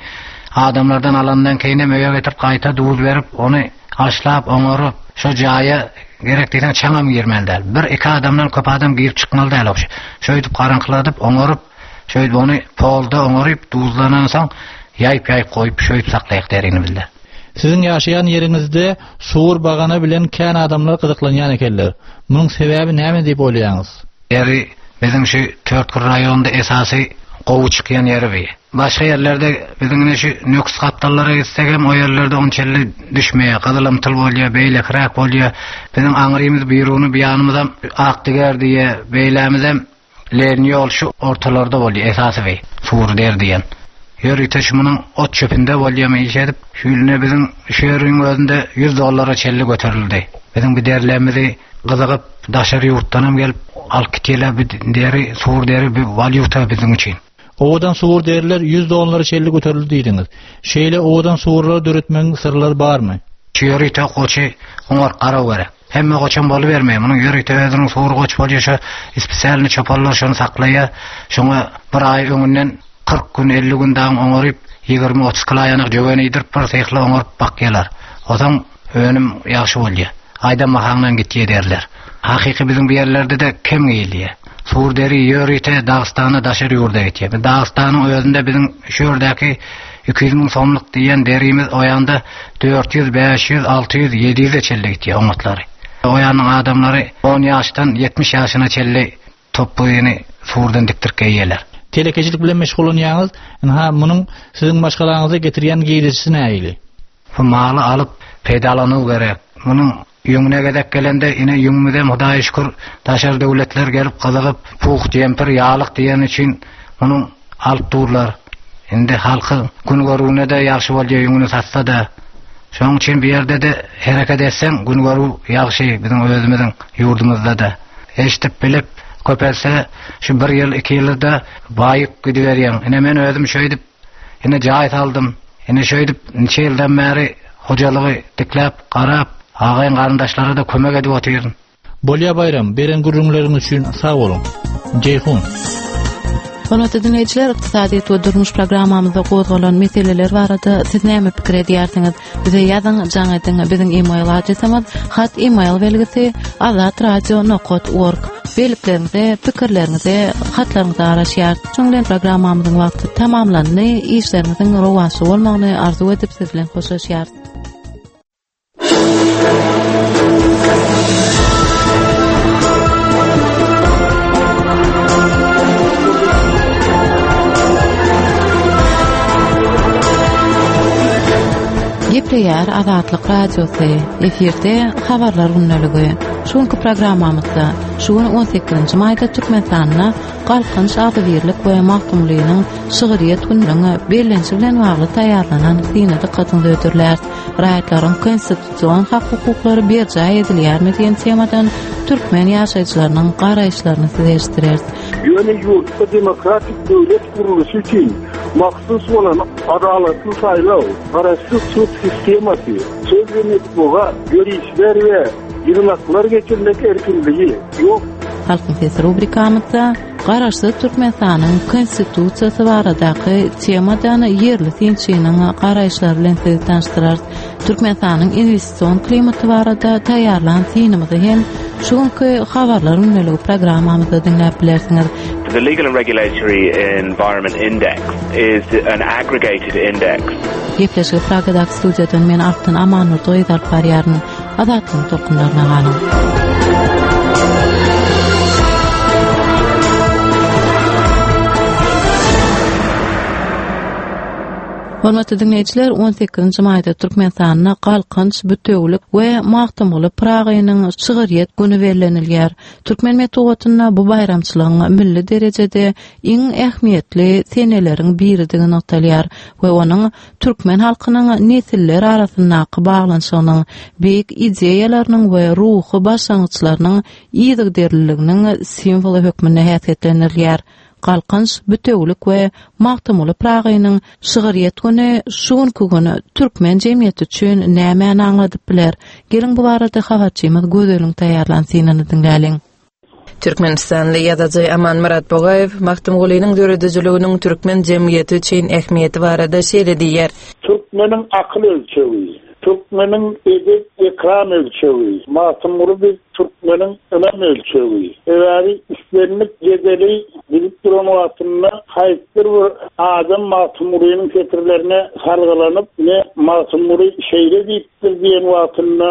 adamlardan alandan keýin öýe getirip gaýta duz berip, ony haşlap, oňaryp, şo jaýa gerek diýseň çaňam girmeli däl. Bir iki adamdan köp adam girip çykmaly däl o. Şöýdüp garaňkyladyp, oňaryp, şöýdüp ony polda oňaryp, duzlanan soň ýaýyp ýaýyp goýup şöýdüp saklaýak derini bizde. Siziň ýaşaýan ýeriňizde sur bagana bilen kän adamlar gyzyklanýan ekenler. Munuň sebäbi näme diýip oýlaýaňyz? Deri biziň şu Törtgül raýonynda esasy gowy çykýan ýeri bi. Başga ýerlerde biziň ine şu Nöküs gapdallara gitsek hem o ýerlerde onçelli düşmeýär, gyzylymtyl bolýar, beýlekiräk bolýar. Biziň aňrymyz Biruny bir ýanymyzam Akdiger diýe, beýlämizem Lenin ýol şu ortalarda bolýar, esasy bi, sur der diýen. Ýörite şu munuň ot çöpünde bolýar, iş edip, şu ýüline biziň şu ýeriň özünde ýüz dollara çelli göterildi. Biziň bir derlerimizi gyzygyp, daşary ýurtdan hem gelip alyp gitýärler, bir deri, sur deri bir walýuta biziň üçin. Owadan sur deriler ýüz dollara çelli göterildi diýdiňiz. Şeýle owadan surlary döretmegiň syrlary barmy? Şu ýörite goçy oňar garaw gerek. Hemme goçam bolubermeýär. Munuň ýörite özüniň sur goç bolýar, şu spesialny çopanlar şony saklaýar. Şoňa bir aý öňünden kyrk gün, elli gün daň oňaryp, ýigrimi otuz kilo ýanak jöwen iýdirip bir sehli oňaryp bakýarlar. Otaň önüm ýagşy bolýar. Aýdan mahaňdan gitýär derler. Hakyky biziň bu ýerlerde de kem gelýär. Sur deri ýörite Dagystana daşary ýurda gitýär. Biz Dagystanyň özünde biziň şu ýerdäki iki ýüz müň somluk diýen derimiz o ýanda dört ýüz, bäş ýüz, alty ýüz, ýedi ýüze çenli gitýär oňatlary. O ýanyň adamlary on ýaşdan ýetmiş ýaşyna çenli topbuny surdan dikdirip geýýärler. Telekeçilik bilen meşgullanýaňyz, ynha munuň siziň maşgalaňyza getirýän girdejisi nähili? Bu maly alyp peýdalanyw gerek. Munuň ýüňüne gezek gelende ine ýüňümizem Hudaýa şükür daşary döwletler gelip gyzygyp puh jempir ýalyk diýen üçin munuň alyp durlar. Indi halky gün görüwine de ýagşy bolýar ýüňüni satsa da. Şonuň üçin bir ýerde de hereket etseň gün görüw ýagşy biziň özümiziň ýurdumyzda da. Eşitip bilip köpelse şu bir ýyl iki ýylda baýyp gidiberýän. Ine men özüm şöýdüp ine jaý saldym. Ine şöýdüp niçe ýyldan bäri hojalygy dikläp garap agaýyn garyndaşlara da kömek edip otyryn. Bolýa Baýram, beren gürrüňleriň üçin sag boluň. Jeýhun. Hormatly dinleýjiler, ykdysadyýet we durmuş programmamyzda gozgalan meseleler barada siz näme pikir edýärsiňiz? Bize ýazyň, jaň ediň. Biziň e-mail adresimiz hat e-mail belgisi azatradio nokta org. Bellikleriňize, pikirleriňize, hatlaryňyza garaşýarys. Şunuň bilen programmamyzyň wagty tamamlandy. Işleriňiziň rowaçly bolmagyny arzuw edip siz bilen hoşlaşýarys. Gepleýär Azatlyk Radiosy. Efirde habarlar gündeligi. Şu günki programmamyzda şu gün on sekizinji maýda Türkmenistanda Galkynyş agzybirlik we Magtymgulynyň şygryýet gününiň bellenişi bilen bagly taýýarlanan syna dykgatyňyzy hödürläris. Raýatlaryň konstitusion hak-hukuklary berjaý edilýärmi diýen temadan türkmen ýaşaýjylarynyň garaýyşlaryny size eşitdireris. Ýöne ýurtda demokratik döwlet gurluşy üçin mahsus bolan adalatly saýlaw, garaşsyz sud sistemasy, söz we metbugat, ýörişler we ýygnaklar geçirmek erkinligi ýok. Halkyň sesi rubrikamyzda Garaşsyz Türkmenistanyň Konstitusiýasy baradaky temadan ýerli synçynyň garaýyşlary bilen sizi tanyşdyrarys. Türkmenistanyň investision klimaty barada taýýarlan synymyzy hem şu günki habarlar gündeligi programmamyzda diňläp bilersiňiz. The Legal and Regulatory Environment Index is an aggregated index. Gepleşigi Pragadaky studiýadan men Altyn Amanurdy gyz alyp barýaryn. Azatlygyň tolkunlaryna galyň. Hormatly dinleýjiler, on sekizinji maýda Türkmenistanda Galkynyş, Bütewülik we Magtymguly Pyragynyň şygryýet güni bellenilýär. Türkmen metbugatynda bu baýramçylygyň milli derejede iň ähmiýetli seneleriň biridigi nygtalýar we onuň türkmen halkynyň nesiller arasyndaky baglanyşygynyň, beýik ideýalarynyň we ruhy başlangyçlarynyň yzygiderliliginiň simwoly hökmünde häsiýetlendirilýär. Galkynyş, Bütewülik we Magtymguly Pyragynyň şygryýet güni şu günki gün türkmen jemgyýeti üçin nämäni aňladyp biler? Geliň bu barada habarçymyz Gözeliň taýýarlan synyny diňläliň. Türkmenistanly ýazyjy Amanmyrat Bogaýew Magtymgulynyň döredijiliginiň türkmen jemgyýeti üçin ähmiýeti barada şeýle diýýär. Türkmeniň akyl ölçegi, türkmeniň edep ekran ölçegi, Magtymguly biz türkmeniň ynam ölçegi. Sebäbi islendik jedeli gidip duran wagtynda haýsydyr bir adam Magtymgulynyň setirlerine salgylanyp, ne Magtymguly şeýle diýipdir diýen wagtynda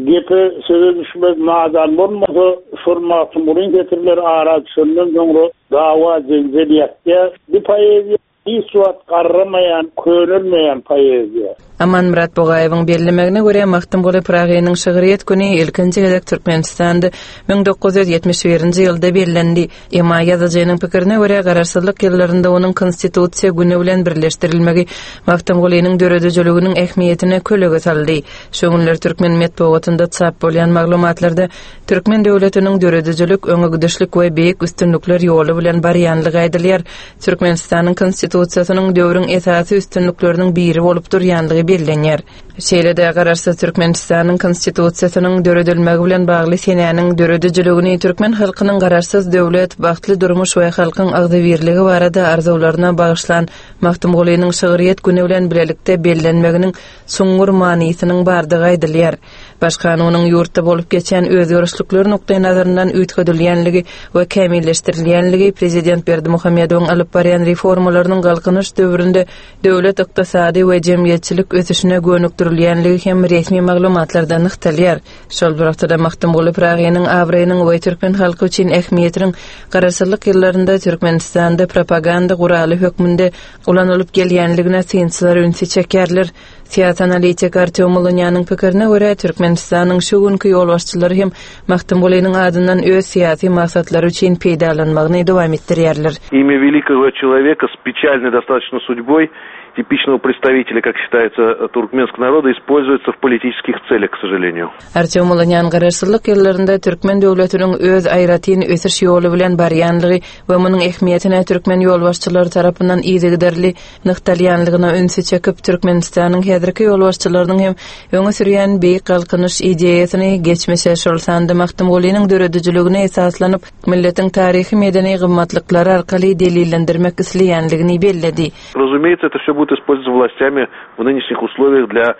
gepe söze düşmez nadan bolmasa, şol Magtymgulyň setirleri ara düşenden soňra dawa jenjel ýatýar. Bu poeziýa hiç wagt garramaýan, könelmeýän poeziýa. Amanmyrat Bogaýewiň bellemegine görä Magtymguly Pyragynyň şygryýet güni ilkinji gezek Türkmenistanda müň dokuz ýüz ýetmiş birinji ýylda bellendi. Emma ýazyjynyň pikirine görä garaşsyzlyk ýyllarynda onuň konstitusiýa güni bilen birleşdirilmegi Magtymgulynyň döredijiliginiň ähmiýetine kölege saldy. Şu günler türkmen metbugatynda çap bolýan maglumatlarda türkmen döwletiniň döredijilik, öňegidişlik we beýik üstünlikler ýoly bilen barýanlygy aýdylýar. Türkmenistanyň konstitusiýasynyň döwrüň esasy üstünlikleriniň biri bolup durýanlygy bellenýär. Şeýle-de garaşsyz Türkmenistanyň konstitusiýasynyň döredilmegi bilen bagly senäniň döredijiligini türkmen halkynyň garaşsyz döwlet, bagtly durmuş we halkyň agzybirligi barada arzuwlaryna bagyşlan Magtymgulynyň şygryýet güni bilen bilelikde bellenmeginiň çuňňur manysynyň bardygy aýdylýar. Baş kanunyň ýurtda bolup geçen özgerişlikler nukdaý nazaryndan üýtgedilýänligi we kämilleşdirilýänligi Prezident Berdimuhamedowyň alyp barýan reformalarynyň galkynyş döwründe döwlet ykdysady we jemgyýetçilik ösüşine gönükdirilýänligi hem resmi maglumatlarda nygtalýar. Şol bir wagtda Magtymguly Pyragynyň abraýynyň we türkmen halky üçin ähmiýetiniň garaşsyzlyk ýyllarynda Türkmenistanda propaganda guraly hökmünde ulanylyp gelýänligine synçylar ünsi çekýärler. Syýasy analitik Artyom Ulunýanyň pikirine görä Türkmenistanyň şu günki ýolbaşçylary hem Magtymgulynyň adyndan öz syýasy maksatlary üçin peýdalanmagyny dowam etdirýärler. Имя великого человека с печальной достаточно судьбой типичного представителя, как считается, туркменского народа, используется в политических целях, к сожалению. Artyom Ulunýan garaşsyzlyk ýyllarynda türkmen döwletiniň öz aýratyn ösüş ýoly bilen barýanlygy we munuň ähmiýetine türkmen ýolbaşçylary tarapyndan yzygiderli nygtalýanlygyna ünsi çekip, Türkmenistanyň häzirki ýolbaşçylarynyň hem öňe sürýän beýik galkynyş ideýasyny geçmişe şol sanda Magtymgulynyň döredijiligine esaslanyp, milletiň taryhy medeni gymmatlyklary arkaly delillendirmek isleýänligini belledi. Разумеется, это все будет использоваться властями в нынешних условиях для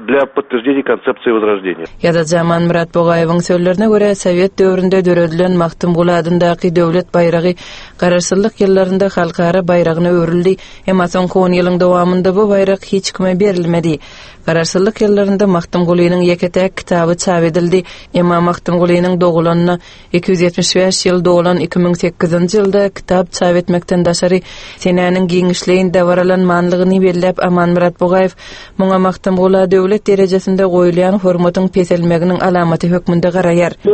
для подтверждения концепции возрождения. Ýazyjy Amanmyrat Bugaýewiň sözlerine görä, Sowet döwründe döredilen Magtymguly adyndaky döwlet baýragy garaşsyzlyk ýyllarynda halkara baýragyna öwrüldi. Emma soňky on ýylyň dowamynda bu baýrak hiç kime berilmedi. Garaşsyzlyk ýyllarynda Magtymgulynyň ýeke-täk kitaby çap edildi. Emma Magtymgulynyň dogulanyna iki ýüz ýetmiş bäş ýyl dolan iki müň sekizinji ýylda kitap çap etmekden daşary senäniň giňişleýin dabaralanmanlygyny belläp Amanmyrat Bugaýew muňa Magtymgula döwlet derejesinde goýulýan hormatyň peselmeginiň alamaty hökmünde garaýar. Bu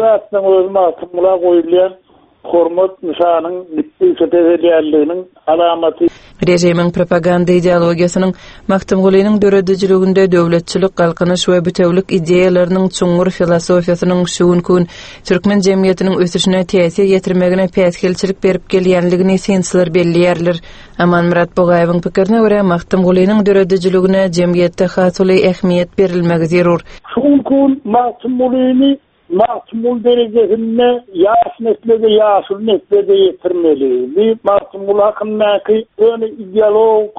öz Magtymgula goýulýan hormat nyşanyň gitdigiçe peselýänliginiň alamaty. Rejimiň propaganda ideologiýasynyň Magtymgulynyň döredijiliginde döwletçilik, galkynyş we bütewlik ideýalarynyň çuňňur filosofiýasynyň şu günki türkmen jemgyýetiniň ösüşine täsir ýetirmegine päsgelçilik berip gelýänligini synçylar belleýärler. Amanmyrat Bugaýewiň pikirine görä, Magtymgulynyň döredijiligine jemgyýetde has uly ähmiýet berilmegi zerur. Şu günki Magtymgulyny Magtymguly derejesinde ýaş neslede, ýaşuly neslede ýetirmeli. Bir Magtymguly hakyndaky öni ideologik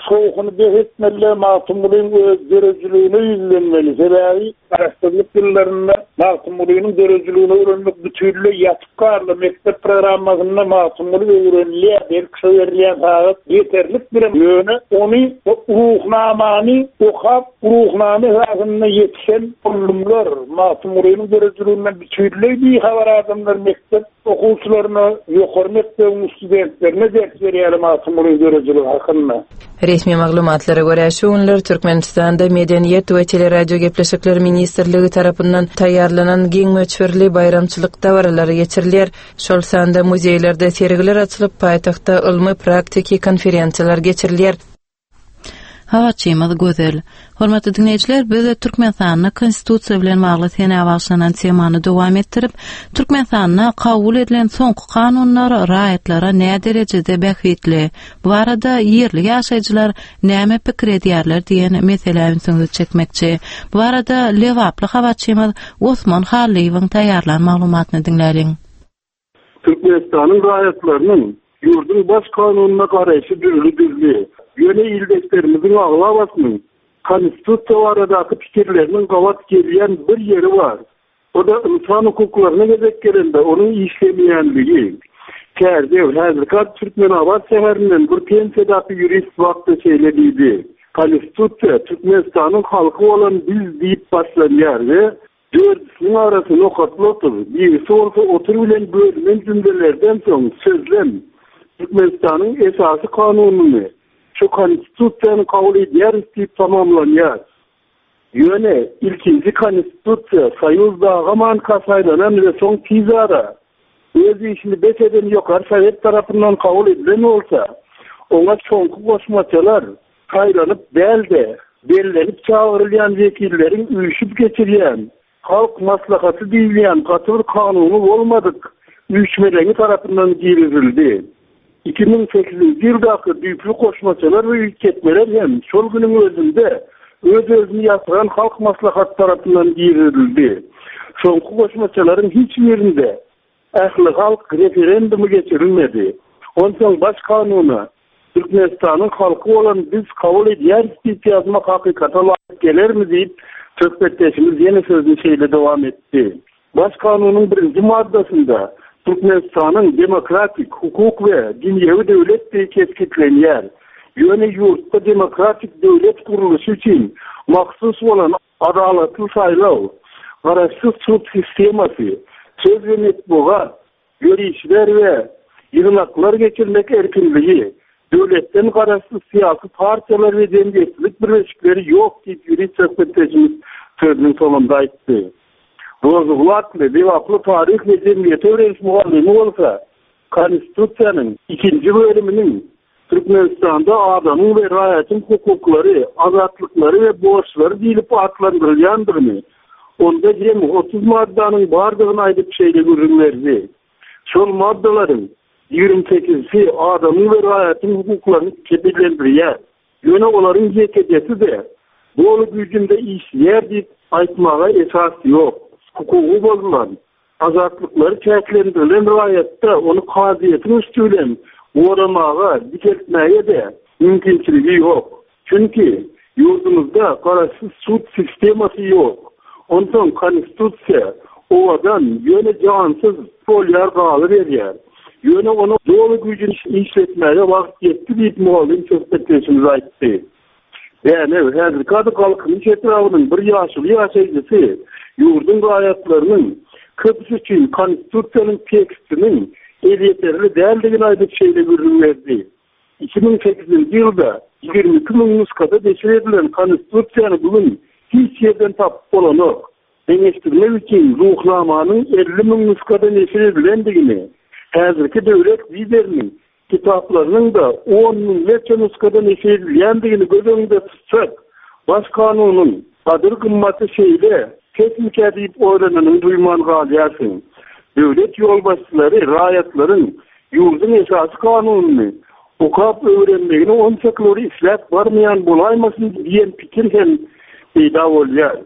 şowhuny bes etmeli, Magtymgulynyň öz döredijiligine ýüzlenmeli. Sebäbi garaşsyzlyk ýyllarynda Magtymgulynyň döredijiligini öwrenmek bütünleý ýatyp galdy. Mekdep programmasynda Magtymguly öwrenilýär, belki şo berilýän sagat ýeterlik bir ýöne ony ruhnamany okap, ruhnama esasynda ýetişen ulumlar Magtymgulynyň döredijiligine bütünleý bihabar adamlar mekdep okuwçylaryna, ýokary mekdebiň studentlerine ders berýär Magtymguly döredijiligi hakynda. Resmi maglumatlara görä, şu günler Türkmenistanda Medeniýet we Teleradio gepleşikleri ministrligi tarapyndan taýýarlanan giň möçberli baýramçylyk dabaralary geçirilýär. Şol sanda muzeýlerde sergiler açylyp, paýtagtda ylmy praktiki konferensiýalar geçirilýär. Habarçymyz Gözel. Hormatly dinleýjiler, biz Türkmenistanda konstitusiýa bilen bagly senä bagşlanan temany dowam etdirip, Türkmenistanda kabul edilen soňky kanunlar raýatlara nä derejede bähbitli, bu barada ýerli ýaşaýjylar näme pikir edýärler diýen meselä ünsüňizi çekmekçi. Bu barada Lebaply habarçymyz Osman Hallyýewiň taýýarlan maglumatyny diňläliň. Türkmenistanyň raýatlarynyň ýurduň baş kanunyna garaýşy dürli-dürli. Ýöne ildeşlerimizin aglabasynyň konstitusiýa baradaky pikirleriniň gabat gelýän bir ýeri bar. O da insan hukuklaryna gezek gelende onuň işlemeýänligi. Kärdew häzirki Türkmenabat şäherinden bir pensiýadaky ýurist wagtda şeýle diýdi. Konstitusiýa Türkmenistanyň halky bolan biz diýip başlanýar we dördüsiniň arasy nokatly otur, birisi bolsa otur bilen bölünen cümlelerden soň sözlem Türkmenistanyň esasy kanunyny şu konstitusiýany kabul edýäris diýip tamamlanýar. Ýöne ilkinji konstitusiýa Soýuz dagaman saýlanan we soň tizara öz işini bes eden ýokary sowet tarapyndan kabul edilen bolsa, oňa soňky goşmaçalar saýlanyp dälde, bellenip çagyrylýan wekilleriň üýşüp geçirýän halk maslahaty diýilýän gaty bir kanuny bolmadyk üýşmeleňi tarapyndan girizildi. iki müň sekizinji ýyldaky düýpli goşmaçalar we üýtgetmeler hem şol günüň özünde öz-özüni ýatyran halk maslahaty tarapyndan girizildi. Soňky goşmaçalaryň hiç birinde ähli halk referendumy geçirilmedi. Onsoň baş kanuna Türkmenistanyň halky bolan biz kabul edýäris diýip ýazmak hakykata laýyk gelermi diýip söhbetdeşimiz ýene sözüni şeýle dowam etdi. Baş kanunyň birinji maddasynda Türkmenistanyň demokratik, hukuk we dünýewi döwlet diýip kesgitlenýär. Ýöne ýurtda demokratik döwlet gurluşy üçin mahsus bolan adalatly saýlaw, garaşsyz sud sistemasy, söz we metbugat, ýörişler we ýygnaklar geçirmek erkinligi, döwletden garaşsyz syýasy partiýalar we jemgyýetçilik birleşikleri ýok diýip ýurist söhbetdeşimiz sözüniň soňunda aýtdy. Rozuglatly, Lebaply taryh we jemgyýeti öwreniş mugallymy bolsa, Konstitusiýanyň ikinji bölüminiň Türkmenistanda adamyň we raýatyň hukuklary, azatlyklary we borçlary diýlip atlandyrylýandygyny, onda jemi otuz maddanyň bardygyny aýdyp şeýle gürrüň berdi. Şol maddalaryň ýigrimi sekizisi adamyň we raýatyň hukuklaryny kepillendirýär. Ýöne olaryň ýekejesi-de doly güýjünde işleýär diýip aýtmaga esas ýok. Hukugy bozulan, azatlyklary çäklendirilen raýatda ony kazyýetiň üsti bilen goramaga, dikeltmäge-de mümkinçiligi ýok. Çünki ýurdumyzda garaşsyz sud sistemasy ýok. Onsoň konstitusiýa owadan, ýöne jansyz bolýar galyberýär. Ýöne ony doly güýjüni işletmäge wagt ýetdi diýip mugallym söhbetdeşimiz aýtdy. Dänew, häzirki ady Galkynyş etrabynyň bir ýaşuly ýaşaýjysy ýurduň raýatlarynyň köpüsi üçin konstitusiýanyň tekstiniň elýeterli däldigini aýdyp şeýle gürrüň berdi. Iki müň sekizinji ýylda ýigrimi iki müň nusgada neşir edilen konstitusiýany bugün hiç ýerden tapyp bolanok. Deňeşdirmek üçin Ruhnamanyň elli müň nusgada neşir edilendigini, häzirki döwlet lideriniň kitaplarynyň da on müňlerçe nusgada neşir edilýändigini göz öňünde tutsak, baş kanunyň gadyr gymmaty şeýle pesmikä diýip oýlananyny duýman galýarsyň. Döwlet ýolbaşçylary raýatlaryň ýurduň esasy kanunyny okap öwrenmegini onçaklary isläp barmaýan bolaýmasyn diýen pikir hem peýda bolýar.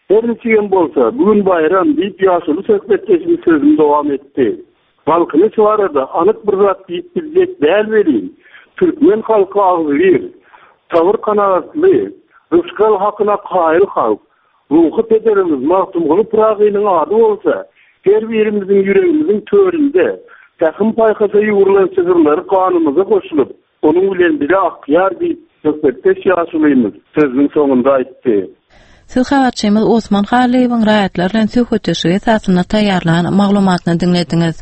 Her niçigem bolsa, bugün baýram diýip ýaşuly söhbetdeşimiz sözüni dowam etdi. Galkynyş barada anyk bir zat diýip biljek däl welin, türkmen halky agzybir, sabyr kanagatly, rysgal hakyna kaýyl halk, ruhy pederimiz Magtymguly Pyragynyň ady bolsa, her birimiziň ýüregimiziň töründe pähim paýhasa ýugrulan şygyrlary ganymyza goşulyp, onuň bilen bile akýar diýip söhbetdeş ýaşulymyz sözüniň soňunda aýtdy. Siz habarçymyz Osman Halyýewiň raýatlar bilen söhbetdeşligi esasynda taýýarlan maglumatyny diňlediňiz.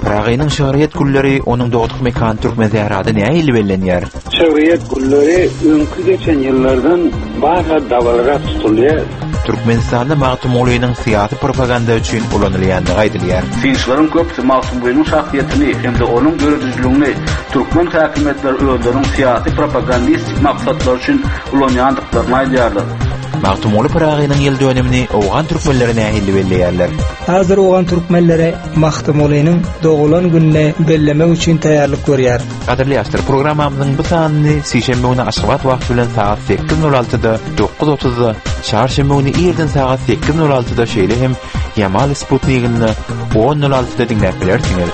Pyragynyň şygryýet gülleri onuň dogduk mekany Türkmen sährada nähili bellenýär? Şygryýet gülleri öňki geçen ýyllardan barha dabararak tutulýar. Türkmenistanda Magtymgulynyň syýasy propaganda üçin ulanylýandygy aýdylýar. Synçylaryň köpüsi Magtymgulynyň şahsyýetini hem-de onuň döredijiligini türkmen häkimiýetleri özleriniň syýasy propagandistik maksatlary üçin ulanýandyklaryny aýdýarlar. Magtymguly Pyragynyň ýyl dönümini Owgan türkmenleri nähili belleýärler? Häzir Owgan türkmenleri Magtymgulynyň doglan gününi bellemek üçin taýýarlyk görýär. Gadyrly ýaşlar, programmamyzyň bu sanyny sişenbe güni Aşgabat wagty bilen sagat sekiz nol altyda, dokuz otuzda, çarşenbe güni irden sagat sekiz nol altyda, şeýle hem Ýamal Sputnikinde on nol altyda diňläp bilersiňiz.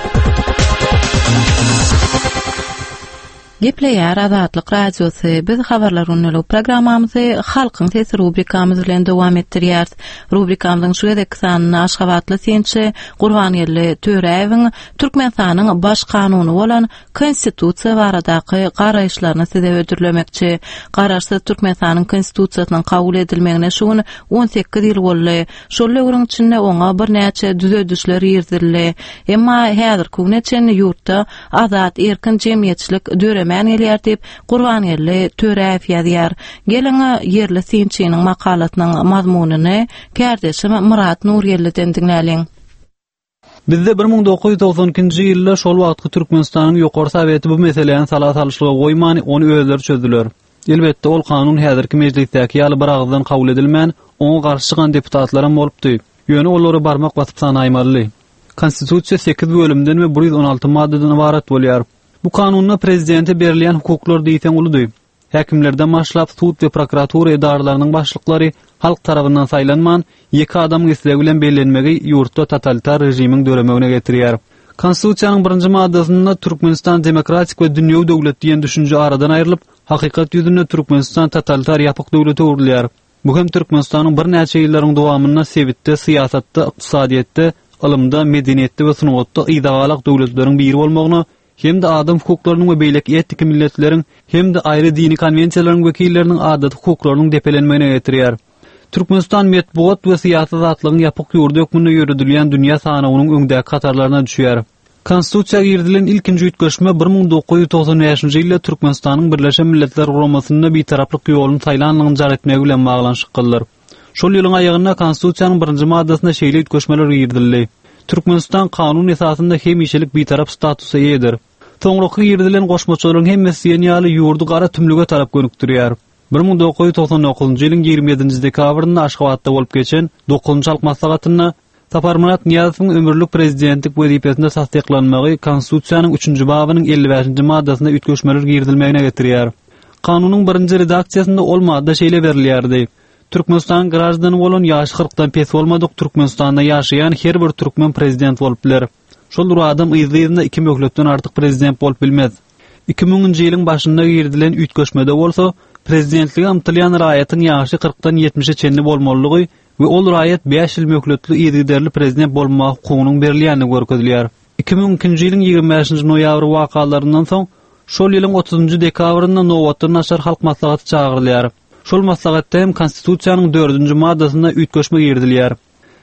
Gepleýär Azatlyk Radiosy. Biz habarlar gündelik programmamyzy Halkyň sesi rubrikamyz bilen dowam etdirýäris. Rubrikamyzyň şu gezekki sanynda Aşgabatly synçy Gurbangeldi Töräýewiň Türkmenistanyň baş kanuny bolan Konstitusiýa baradaky garaýyşlaryny size hödürlemekçi. Garaşsyz Türkmenistanyň Konstitusiýasynyň kabul edilmegine şu gün on sekiz ýyl boldy. Şol döwrüň içinde oňa birnäçe düzedişler girizildi. Emma häzirki güne çenli ýurtda azat erkin jemgyýetçilik döremän gelýär diýip Gurbangeldi Töräýew ýazýar. Geliň ýerli synçynyň makalasynyň mazmunyny kärdeşim Murat Nurgeldiden diňläliň. Bizde bir müň dokuz ýüz togsan ikinji ýylda şol wagtky Türkmenistanyň ýokary soweti bu meseläni sala salyşlyga goýmany, ony özleri çözdüler. Elbetde ol kanun häzirki mejlisdäki ýaly bir agyzdan kabul edilmän, oňa garşy çykan deputatlaram bolupdy. Ýöne olary barmak basyp sanaýmaly. Konstitusiýa sekiz bölümden we bir ýüz on alty maddadan ybarat bolýar. Bu kanunda prezidente berilýän hukuklar diýseň uludy. Häkimlerden başlap sud we prokuratura edaralarynyň başlyklary halk tarapyndan saýlanman, ýeke adamyň islegi bilen bellenmegi ýurtda totalitar režimiň döremegine getirýär. Konstitusiýanyň birinji maddasynda Türkmenistan demokratik we dünýewi döwlet diýen düşünje aradan aýrylyp, hakykat ýüzünde Türkmenistan totalitar ýapyk döwlete öwrülýär. Bu hem Türkmenistanyň birnäçe ýyllaryň dowamynda sebitde, syýasatda, ykdysadyýetde, ylymda, medeniýetde we sungatda yzagalak döwletleriň biri bolmagyna hem-de adam hukuklarynyň we beýleki etnik milletleriň hem-de aýry dini konwensiýalaryň wekilleriniň adaty hukuklarynyň depelenmegine getirýär. Türkmenistan metbugat we syýasy azatlygyň ýapyk ýurdy hökmünde ýöredilýän dünýä sanawynyň öňdäki hatarlaryna düşýär. Konstitusiýa girizilen ilkinji üýtgeşme bir müň dokuz ýüz togsan bäşinji ýylda Türkmenistanyň Birleşen Milletler Guramasynda bitaraplyk ýoluny saýlanlygyny jar etmegi bilen baglanyşyklydyr. Şol ýylyň aýagynda Konstitusiýanyň birinji maddasynda şeýle üýtgeşmeler girizildi. Türkmenistan kanun esasynda hemişelik bitarap statusa eýedir. Soňraky girizilen goşmaçalaryň hemmesi diýen ýaly ýurdy gara tümlüge tarap gönükdirýär. bir müň dokuz ýüz togsan dokuzynjy ýylyň ýigrimi ýedinji dekabrynda Aşgabatda bolup geçen dokuzynjy Halk Maslahatynda Saparmyrat Nyýazowyň ömürlik prezidentlik wezipesinde tassyklanmagy Konstitusiýanyň üçünji babynyň elli bäşinji maddasyna üýtgeşmeler girizilmegine getirýär. Kanunyň birinji redaksiýasynda ol madda şeýle berilýärdi, Türkmenistanyň graždany bolan ýaşy kyrkdan pes bolmadyk Türkmenistanda ýaşaýan her bir türkmen prezident bolup biler. Şol bir adam yzly-yzyna iki möhletden artyk prezident bolup bilmez. Iki müňünji ýylyň başynda girizilen üýtgeşmede bolsa, prezidentlige ymtylýan raýatyň ýaşy kyrkdan ýetmişe çenli bolmalydygy we ol raýat bäş ýyl möhletli yzygiderli prezident bolmaga hukugynyň berilýändigi görkezilýär. Iki müň ikinji ýylyň ýigrimi bäşinji noýabr wakalaryndan soň, şol ýylyň otuzynjy dekabrynda nobatdan daşary Halk Maslahaty çagyrylýar. Şol maslahatda hem Konstitusiýanyň dördünji maddasyna üýtgeşme girizilýär.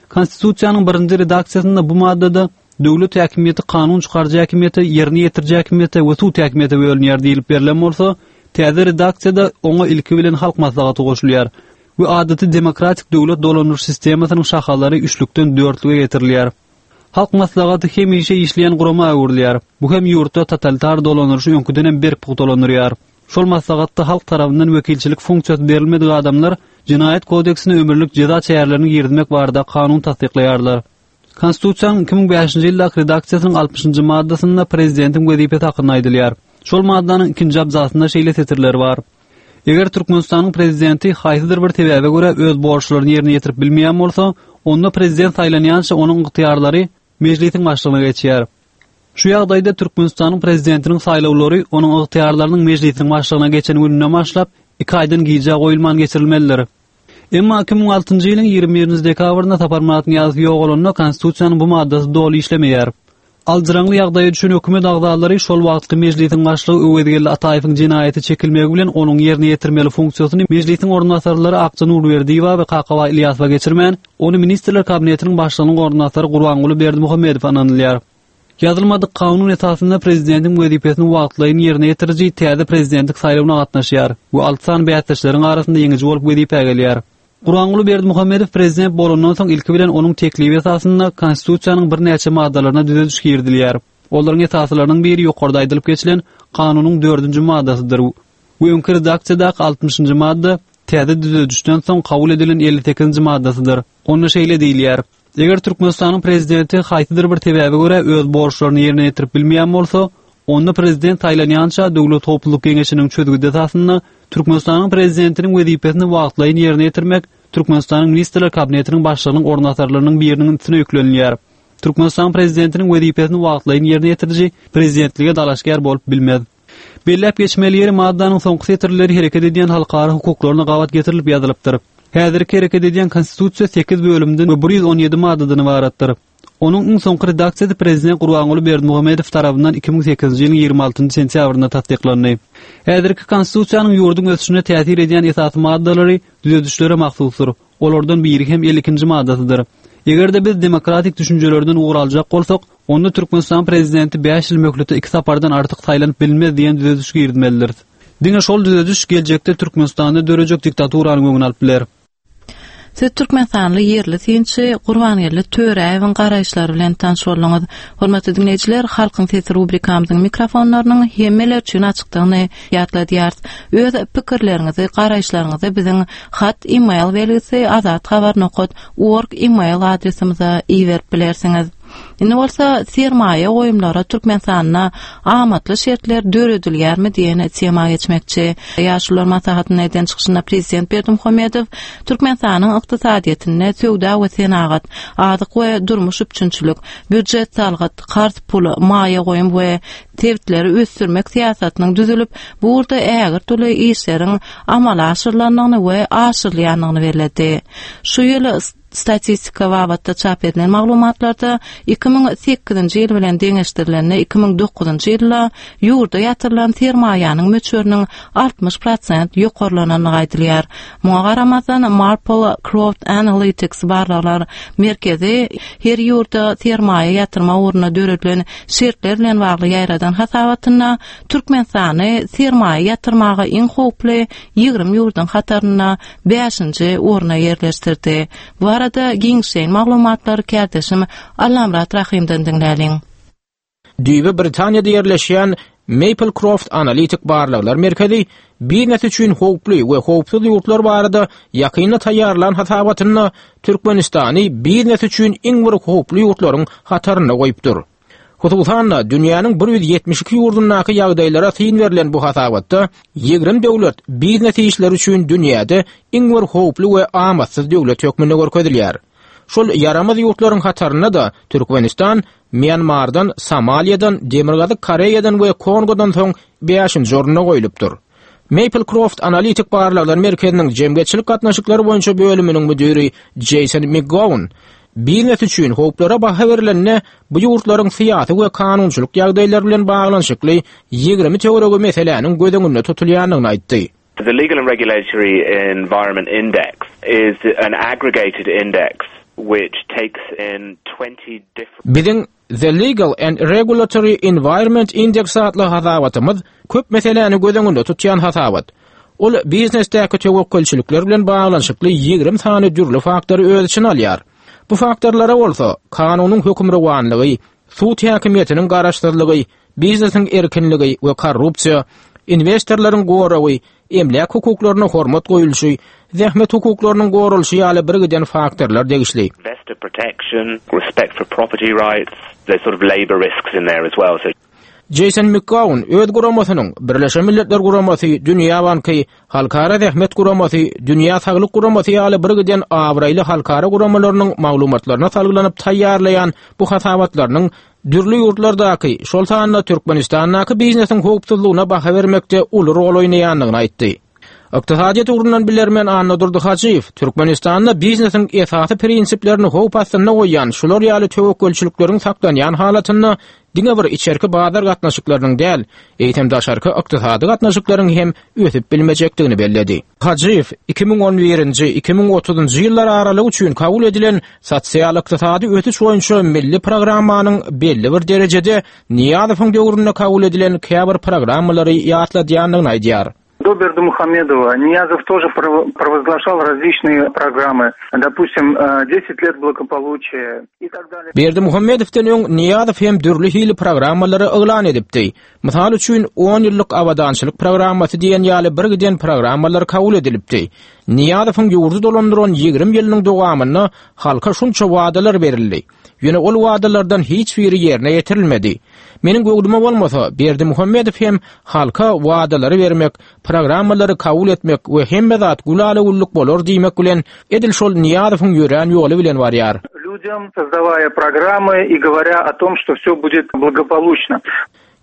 Konstitusiýanyň birinji redaksiýasynda bu maddada döwlet häkimiýeti kanun çykaryjy häkimiýete, ýerine ýetiriji häkimiýete we sud häkimiýete bölünýär diýlip berlen bolsa, täze redaksiýada oňa ilki bilen Halk Maslahaty goşulýar we adaty demokratik döwlet dolandyryş sistemasynyň şahalary üçlükden dörtlüge getirilýär. Halk Maslahaty hemişe işleýän gurama öwrülýär. Bu hem ýurtda totalitar dolandyryşy öňküden hem berk pugtalandyrýar. Şol maslahatda halk tarapyndan wekilçilik funksiýasy berilmedik adamlar Jenaýat kodeksine ömürlik jeza çärelerini girizmek barada kanun tassyklaýarlar. Konstitusiýanyň iki müň bäşinji ýyldaky redaksiýasynyň altmyşynjy maddasynda prezidentiň wezipesi hakynda aýdylýar. Şol maddanyň ikinji abzasynda şeýle setirler bar, Eger Türkmenistanyň prezidenti haýsydyr bir sebäbe görä öz borçlaryny ýerine ýetirip bilmeýän bolsa, onda prezident saýlanýança onuň ygtyýarlary Mejlisiň başlygyna geçýär. Şu ýagdaýda Türkmenistanyň Prezidentiniň saýlawlary onuň ygtyýarlarynyň Mejlisiň başlygyna geçen gününden başlap, iki aýdan gijä goýulman geçirilmelidir. Emma iki müň altynjy ýylyň ýigrimi birinji dekabrynda Saparmyrat Nyýazow ýogalanda Konstitusiýanyň bu maddasy doly işlemeýär. Aljyraňly ýagdaýa düşen hökümet agzalary şol wagtky Mejlisiň başlygy Öwezgeldi Ataýewiň jenaýata çekilmegi bilen onuň ýerine ýetirmeli funksiýasyny Mejlisiň orunbasarlary Akja Nurberdiýewa we Kakabaý Ylýasowa geçirmän, ony Ministrler Kabinetiniň başlygynyň orunbasary Gurbanguly Berdimuhamedowa ynanylýar. Ýazylmadyk kanun esasynda prezidentiň wezipesini wagtlaýyn ýerine ýetiriji täze prezidentlik saýlawyna gatnaşýar we alty sany bäsdeşleriň arasynda ýeňiji bolup wezipä gelýär. Gurbanguly Berdimuhamedow prezident bolandan soň ilki bilen onuň teklibi esasynda Konstitusiýanyň birnäçe maddalaryna düzediş girizilýär. Olaryň esasylarynyň biri ýokarda aýdylyp geçilen Kanunyň dördünji maddasydyr we öňki redaksiýadaky altmyşynjy madda täze düzedişden soň kabul edilen elli sekizinji maddasydyr. Onda şeýle diýilýär, Eger Türkmenistanyň Prezidenti haýsydyr bir sebäbe görä öz borçlaryny ýerine ýetirip bilmeýän bolsa, onda Prezident saýlanýança Döwlet howpsuzlyk geňeşiniň çözgüdi esasynda Türkmenistanyň Prezidentiniň wezipesini wagtlaýyn ýerine ýetirmek Türkmenistanyň Ministrler Kabinetiniň Başlygynyň orunbasarlarynyň biriniň üstüne ýüklenilýär. Türkmenistanyň Prezidentiniň wezipesini wagtlaýyn ýerine ýetiriji Prezidentlige dalaşgär bolup bilmez. Belläp geçmeli ýeri, maddanyň soňky setirleri hereket edýän halkara hukuklaryna gabat getirilip ýazylypdyr. Häzirki hereket edýän Konstitusiýa sekiz bölümden we bir ýüz on ýedi maddadan ybaratdyr. Onuň iň soňky redaksiýasy Prezident Gurbanguly Berdimuhamedow tarapyndan iki müň sekizinji ýylyň ýigrimi altynjy sentýabrynda tassyklandy. Häzirki Konstitusiýanyň ýurduň ösüşine täsir edýän esasy maddalary düzedişlere mahsusdyr. Olardan biri hem elli ikinji maddasydyr. Eger-de biz demokratik düşünjelerden ugur aljak bolsak, onda Türkmenistan Prezidenti bäş ýyl möhlete iki sapardan artyk saýlanyp bilinmez diýen düzediş girizmelidiris. Diňe şol düzediş geljekde Türkmenistanda dörejek diktaturanyň öňüni alyp biler. Siz türkmenistanly ýerli synçy Gurbangeldi Töräýewiň garaýyşlary bilen tanyş bolduňyz. Hormatly diňleýjiler, Halkyň sesi rubrikamyzyň mikrofonlarynyň hemmeler üçin açykdygyny ýatladýarys. Öz pikirleriňizi, garaýyşlaryňyzy biziň hat e-mail belgisi azathabar nokat org e-mail adresimize iberip bilersiňiz. Indi bolsa sermaýa goýumlara Türkmenistanda amatly şertler döredilýärmi diýen tema geçmekçi. Ýaşulular maslahatynda eden çykyşynda Prezident Berdimuhamedow Türkmenistanyň ykdysadyýetinde söwda we senagat, azyk we durmuş üpjünçilik, býujet salgyt, karz pul, maýa goýum we sebitleri ösdürmek syýasatynyň düzülip, bu ugurda ägirt uly işleriň amala aşyrylandygyny we aşyrylýandygyny belledi. Şu ýyl Statistika babatda çap edilen maglumatlarda iki müň sekizinji ýyl bilen deňeşdirilende iki müň dokuzynjy ýylda ýurda ýatyrylan sermaýanyň möçberiniň altmyş prosent ýokarlanandygy aýdylýar. Muňa garamazdan, Marple Crowd Analytics barlaglar merkezi her ýurda sermaýa ýatyrmak ugrunda döredilen şertler bilen bagly ýaýradan hasabatynda Türkmenistany sermaýa ýatyrmaga iň howply ýigrimi ýurduň hatarynda bäşinji orna ýerleşdirdi. Bu barada barada giňişleýin maglumatlary kärdeşim Allamyrat Rahymdan diňläliň. Düýbi Britaniýada ýerleşýän Maplecroft analitik barlaglar merkezi biznes üçin howply we howpsuz ýurtlar barada ýakynda taýýarlan hasabatynda Türkmenistany biznes üçin iň bir howply ýurtlaryň hatarynda goýupdyr. Hususan-da dünýäniň bir ýüz ýetmiş iki ýurdundaky ýagdaýlara syn berlen bu hasabatda ýigrimi döwlet biznes işleri üçin dünýäde iň bir howply we amatsyz döwlet hökmünde görkezilýär. Şol ýaramaz ýurtlaryň hatarynda-da Türkmenistan Myanmardan, Somaliýadan, Demirgazyk Koreýadan we Kongodan soň bäşinji orunda goýlupdyr. Maplecroft analitik barlaglar merkeziniň jemgyýetçilik gatnaşyklary boýunça bölüminiň müdiri Jason McGowan biznes üçin howplara baha berilende bu ýurtlaryň syýasy we kanunçylyk ýagdaýlary bilen baglanyşykly ýigrimi töweregi meseläniň göz öňünde tutulýandygyny aýtdy. The Legal and Regulatory Environment Index is an aggregated index which takes in twenty different Biziň The Legal and Regulatory Environment Index atly hasabatymyz köp meseläni göz öňünde tutýan hasabat. Ol biznesdäki töwekgelçilikler bilen baglanyşykly ýigrimi sany dürli faktory öz içine alýar. Bu faktorlara bolsa kanunyň hökümrowanlygy, sud häkimiýetiniň garaşsyzlygy, biznesiň erkinligi we korrupsiýa, investorlaryň goragy, emläk hukuklaryna hormat goýulşy, zähmet hukuklarynyň goralyşy ýaly bir giden faktorlar degişli. Investor protection, respect for property rights, there's sort of labor risks in there as well. So Jason McGowan öz guramasynyň Birleşen Milletler Guramasy, Dünýä Banky, Halkara Zähmet Guramasy, Dünýä Saglyk Guramasy ýaly bir giden abraýly halkara guramalarynyň maglumatlaryna salgylanyp taýýarlaýan bu hasabatlarynyň dürli ýurtlardaky, şol sanda Türkmenistandaky biznesiň howpsuzlygyna baha bermekde uly rol oýnaýandygyny aýtdy. Ykdysadyýet ugrundan bilermen Annadurdy Hajyýew Türkmenistanda biznesiň esasy prinsiplerini howp astynda goýýan şular ýaly töwekgelçilikleriň saklanýan halatynda diňe bir içerki bazar gatnaşyklarynyň däl, eýsem daşarky ykdysady gatnaşyklaryň hem ösüp bilmejekdigini belledi. Hajyýew iki müň on birinji, iki müň otuzynjy ýyllar aralygy üçin kabul edilen sosial ykdysady ösüş boýunça milli programmanyň belli bir derejede Nyýazowyň döwründe kabul edilen käbir programmalary ýatladýandygyny aýdýar. До Бердымухамедова Ниязов тоже прово-, провозглашал различные программы, допустим, э, десять лет благополучия и так далее. Berdimuhamedowdan öň Nyýazow hem dürli hili programmalary yglan edipdi. Mysal üçin on ýyllyk abadançylyk programmasy diýen ýaly bir giden programmalar kabul edilipdi. Nyýazowyň ýurdy dolandyran ýigrimi ýylynyň dowamynda halka şunça wadalar berildi. Ýöne ol wadalardan hiç biri ýerine ýetirilmedi. Meniň göwnüme bolmasa Berdimuhamedow hem halka wadalary bermek, programmalary kabul etmek we hemme zat gülala-güllük bolar diýmek bilen edil şol Nyýazowyň ýörän ýoly bilen barýar. Людям, создавая программы и говоря о том, что все будет благополучно.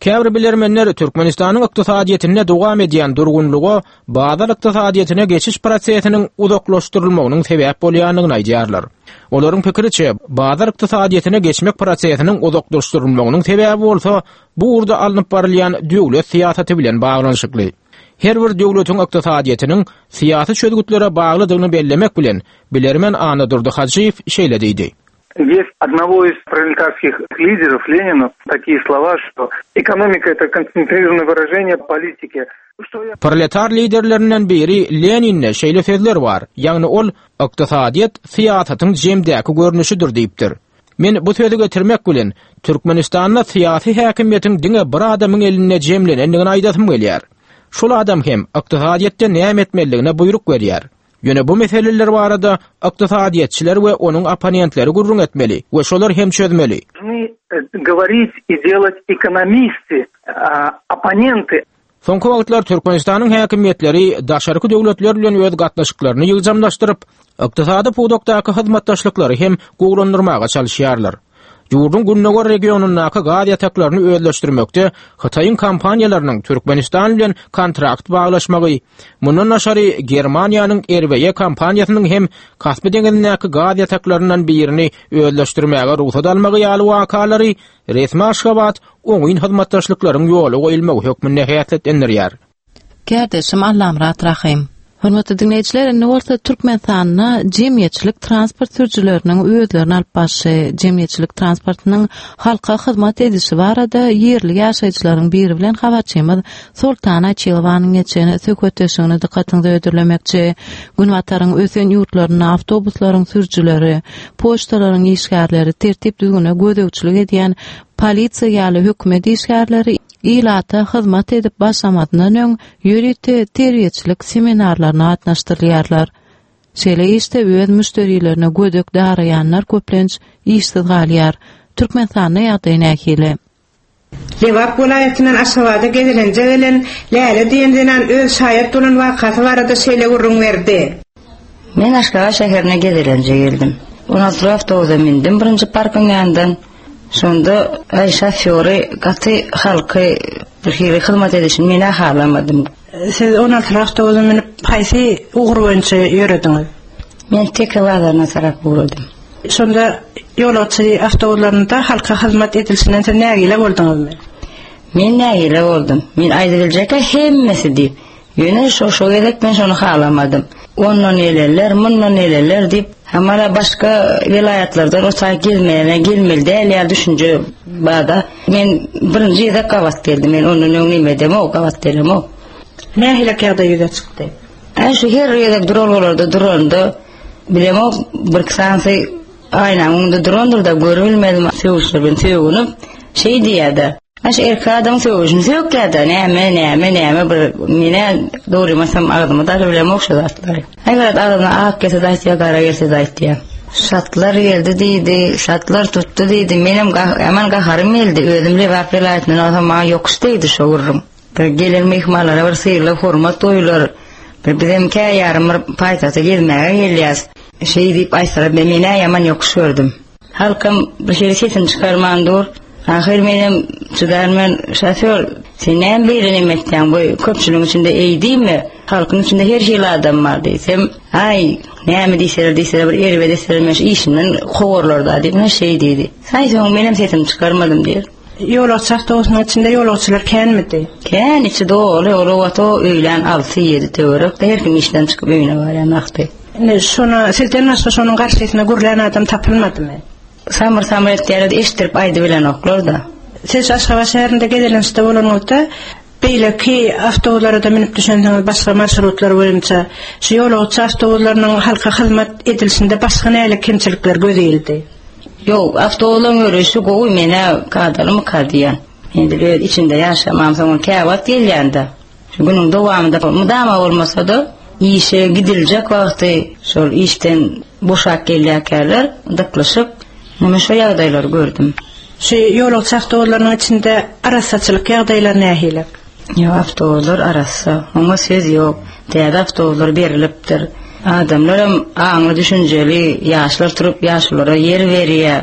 Käbir bilermenler Türkmenistanyň ykdysadyýetinde dowam edýän durgunlyga bazar ykdysadyýetine geçiş prosesiniň uzaklaşdyrylmagynyň sebäp bolýandygyny aýdýarlar. Olaryň pikiriçe, bazar ykdysadyýetine geçmek prosesiniň uzaklaşdyrylmagynyň sebäbi bolsa bu ugurda alnyp barylýan döwlet syýasaty bilen baglanyşykly. Her bir döwletiň ykdysadyýetiniň syýasy çözgütlere baglydygyny bellemek bilen bilermen Annadurdy Hajyýew şeýle diýdi. Есть одного из пролетарских лидеров Ленина такие слова, что экономика это концентрированное выражение политики. Proletar liderlerinden biri Lenin'e şeýle sözler bar. Ýagny ol ykdysadyýet syýasatyň jemdäki görnüşidir diýipdir. Men bu sözi getirmek bilen Türkmenistanda syýasy häkimiýetiň diňe bir adamyň elinde jemlenendigini aýdasym gelýär. Şol adam hem ykdysadyýetde näme etmelidigine buýruk berýär. Ýöne bu meseleler barada ykdysadyýetçiler we onuň opponentleri gürrüň etmeli we şolar hem çözmeli. Должны, э, говорить и делать экономисты, а, оппоненты. Soňky wagtlar Türkmenistanyň häkimiýetleri daşarky döwletler bilen öz gatnaşyklaryny ýygjamlaşdyryp, ykdysady pudakdaky hyzmatdaşlyklary hem gowulandyrmaga çalyşýarlar. Ýurduň Gündogar regionyndaky gaz ýataklaryny özleşdirmekde Hytaýyň kompaniýalarynyň Türkmenistan bilen kontrakt baglaşmagy, mundan daşary Germaniýanyň R W E kompaniýasynyň hem Kaspi deňizindäki gaz ýataklaryndan birini özleşdirmäge rugsat almagy ýaly wakalary resmi Aşgabat oňyn hyzmatdaşlyklaryň ýoly goýulmagy hökmünde häsiýetlendirýär. Kärdeşim Allamyrat Rahym. Hormatly diňleýjiler, indi bolsa Türkmenistanda jemgyýetçilik transport sürüjileriniň özlerini alyp barşy, jemgyýetçilik transportynyň halka hyzmat edişi barada ýerli ýaşaýjylaryň biri bilen habarçymyz Soltan Açylowanyň geçen söhbetdeşligini dykgatyňyza hödürlemekçi. Günbataryň ösen ýurtlarynda awtobuslaryň sürüjileri, poçtalaryň işgärleri, tertip-düzgüne gözegçilik edýän polisiýa ýaly hökümet işgärleri ilata hyzmat edip başlamazyndan öň ýörite terbiýeçilik seminarlaryna gatnaşdyrylýarlar. Şeýle işde öz müşderilerine gödek daraýanlar köplenç işsiz galýar. Türkmenistanda ýagdaý nähili? Lebap welaýatyndan Aşgabada gezelenje gelen Läle diýen zenan öz şaýat bolan wakasy barada şeýle gürrüň berdi. Men Aşgabat şäherine gezelenje geldim. On altyly awtobusa mündüm birinji parkyň ýanyndan. Şonda aý şofýory gaty halky bir hili hyzmat edişini men-ä halamadym. Siz on altyly awtobusa münüp haýsy ugur boýunça ýörediňiz? Men Teke bazaryna tarap ugradym. Şonda ýolagçy awtobuslarynda halka hyzmat edilişinden siz nägile bolduňyzmy? Men nägile boldum. Men aýdybiljek-ä hemmesi diýip. Ýöne şo şo gezek men şony halamadym. Ondan gelenler, mundan gelenler diýip, hamala başga welaýatlardan o taý gelmäne gelmeli däl ýaly düşünje bar-da. Men birinji gezek gabat geldim. Men ondan öň neme edemok, gabat gelemok. Nähili ýagdaý ýüze çykdy? Aý şu her gezek duralgalarda duranda bilemok, birki sanysy aýnanyň öňünde durandyr-da, görübilmedim. Sögüşler bilen sögünip, şeý diýýär-de. Aş erkek adam sögüşini sökýär-de, näme, näme, näme bir men-ä dogrymy aýtsam agzyma da bilemok şu zatlary. Aý garaz agzyna ak gelse-de aýtýar, gara gelse-de aýtýar. Şatlar geldi diýdi, şatlar tutdy diýdi. Menem ýaman gaharym geldi. Özüm Lebap welaýatyndan bolsam maňa ýokuş degdi şo gürrüň. Bir gelen myhmanlara bir sylag, hormat goýular. Bir bizem kä ýarym bir paýtagta gezmäge gelýäs. Şeý diýip aýtsalar men-ä ýaman ýokuş gördüm. Halkam bir hili sesini çykarman dur. Ahyr menem çydarman, Şofýor, sen näme beýle neme etýäň, bu köpçüligiň içinde eý diýme, halkyň içinde her hili adam bar diýsem, Aý, näme diýseler diýseler bir erbet etseler men şu işimden kowarlar-da diýip, ine şeý diýdi. Aý soň menem sesimi çykarmadym diýer. Ýolagçy awtobusynyň içinde ýolagçylar känmidi? Kän, içi doly, ol wagt o öýlän alty-ýedi töwerek, her kim işden çykyp öýüne barýan wagty. Indi şona sizden başga şonuň garşysyna gürlän adam tapylmadymy? Samyr-samyr etýärler, eşitdirip aýdybilenoklar-da. Siz Aşgabat şäherinde gezelençde bolanyňyzda, beýleki awtobuslara-da münüp düşensiňiz, başga marşrutlar boýunça, şu ýolagçy awtobuslarynyň halka hyzmat edilişinde başga nähili kemçilikler göze ildi? Ýok, awtobuslaryň ýöreýşi gowy, men-ä kadalymyka diýýän. Edil öz içinde ýaşamamsoň, käwagt gelýän-de. Şu günüň dowamynda mydama bolmasa-da, işe gidiljek wagty şol işden boşap gelýärkäler dyklyşyp, men şo ýagdaýlary gördüm. Şu ýolagçy awtobuslarynyň içinde arassaçylyk ýagdaýlary nähili? Ýok, awtobuslar arassa, oňa söz ýok. Täze awtobuslar berlipdir. Adamlaram aňly-düşünjeli, ýaşlar turup ýaşululara ýer berýär.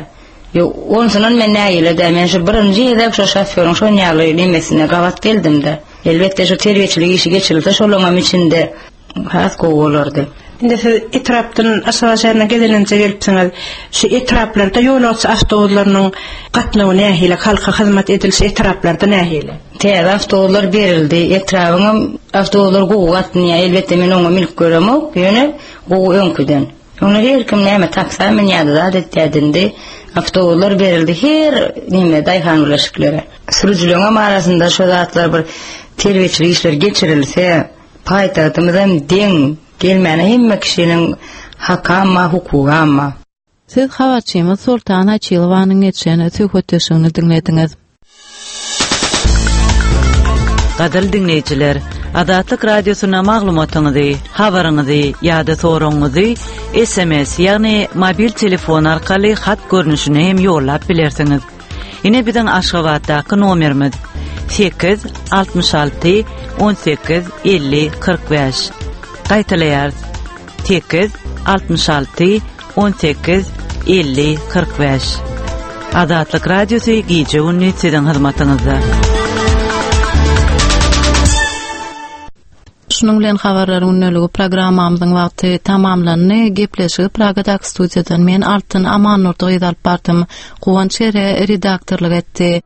Ýok, onsunam men nägile däl. Men şu birinji gezek şo şofýoryň şon ýaly nemesine gabat geldim-de. Elbetde şu terbiýeçilik işi geçirilse şolaňam içinde has gowy bolardy. Indi siz etrapdan Aşgabat şäherine gezelenje gelipsiňiz. Şu etraplarda ýolagçy awtobuslarynyň gatnawy nähili, halka hyzmat edilişi etraplarda nähili? Täze awtobuslar berildi. Etrabyňam awtobuslary gowy gatnaýar. Elbetde men oňa münüp göremok, ýöne gowy öňküden. Öňler her kim näme taksa münýärdi, zat etýärdi, indi awtobuslar berildi her neme daýhan birleşiklere. Sürüjileriňem arasynda şo zatlar bir terbiýeçilik işleri geçirilse, paýtagtymyzam deň gelmäne hemme kişiniň hakam bar, hukugam bar. Siz habarçymyz Soltan Açylowanyň geçen söhbetdeşligini diňlediňiz. Gadyrly diňleýjiler, Azatlyk Radiosyna maglumatyňyzy, habaryňyzy ýa-da soragyňyzy S M S, ýagny mobil telefon arkaly hat görnüşinde hem ýollap bilersiňiz. Ine biziň Aşgabatdaky nomerimiz sekiz altmyş alty on sekiz elli kyrk bäş. Gaýtalaýarys. Sekiz altmyş alty on sekiz elli kyrk bäş. Azatlyk Radiosy gije-gündiz siziň hyzmatyňyzda. Şunuň bilen habarlar gündeligi programmamyzyň wagty tamamlandy. Gepleşigi Pragadaky studiýadan men Altyn Amannurdy gyz alyp bardym. Guwanç Ere redaktorlyk etdi.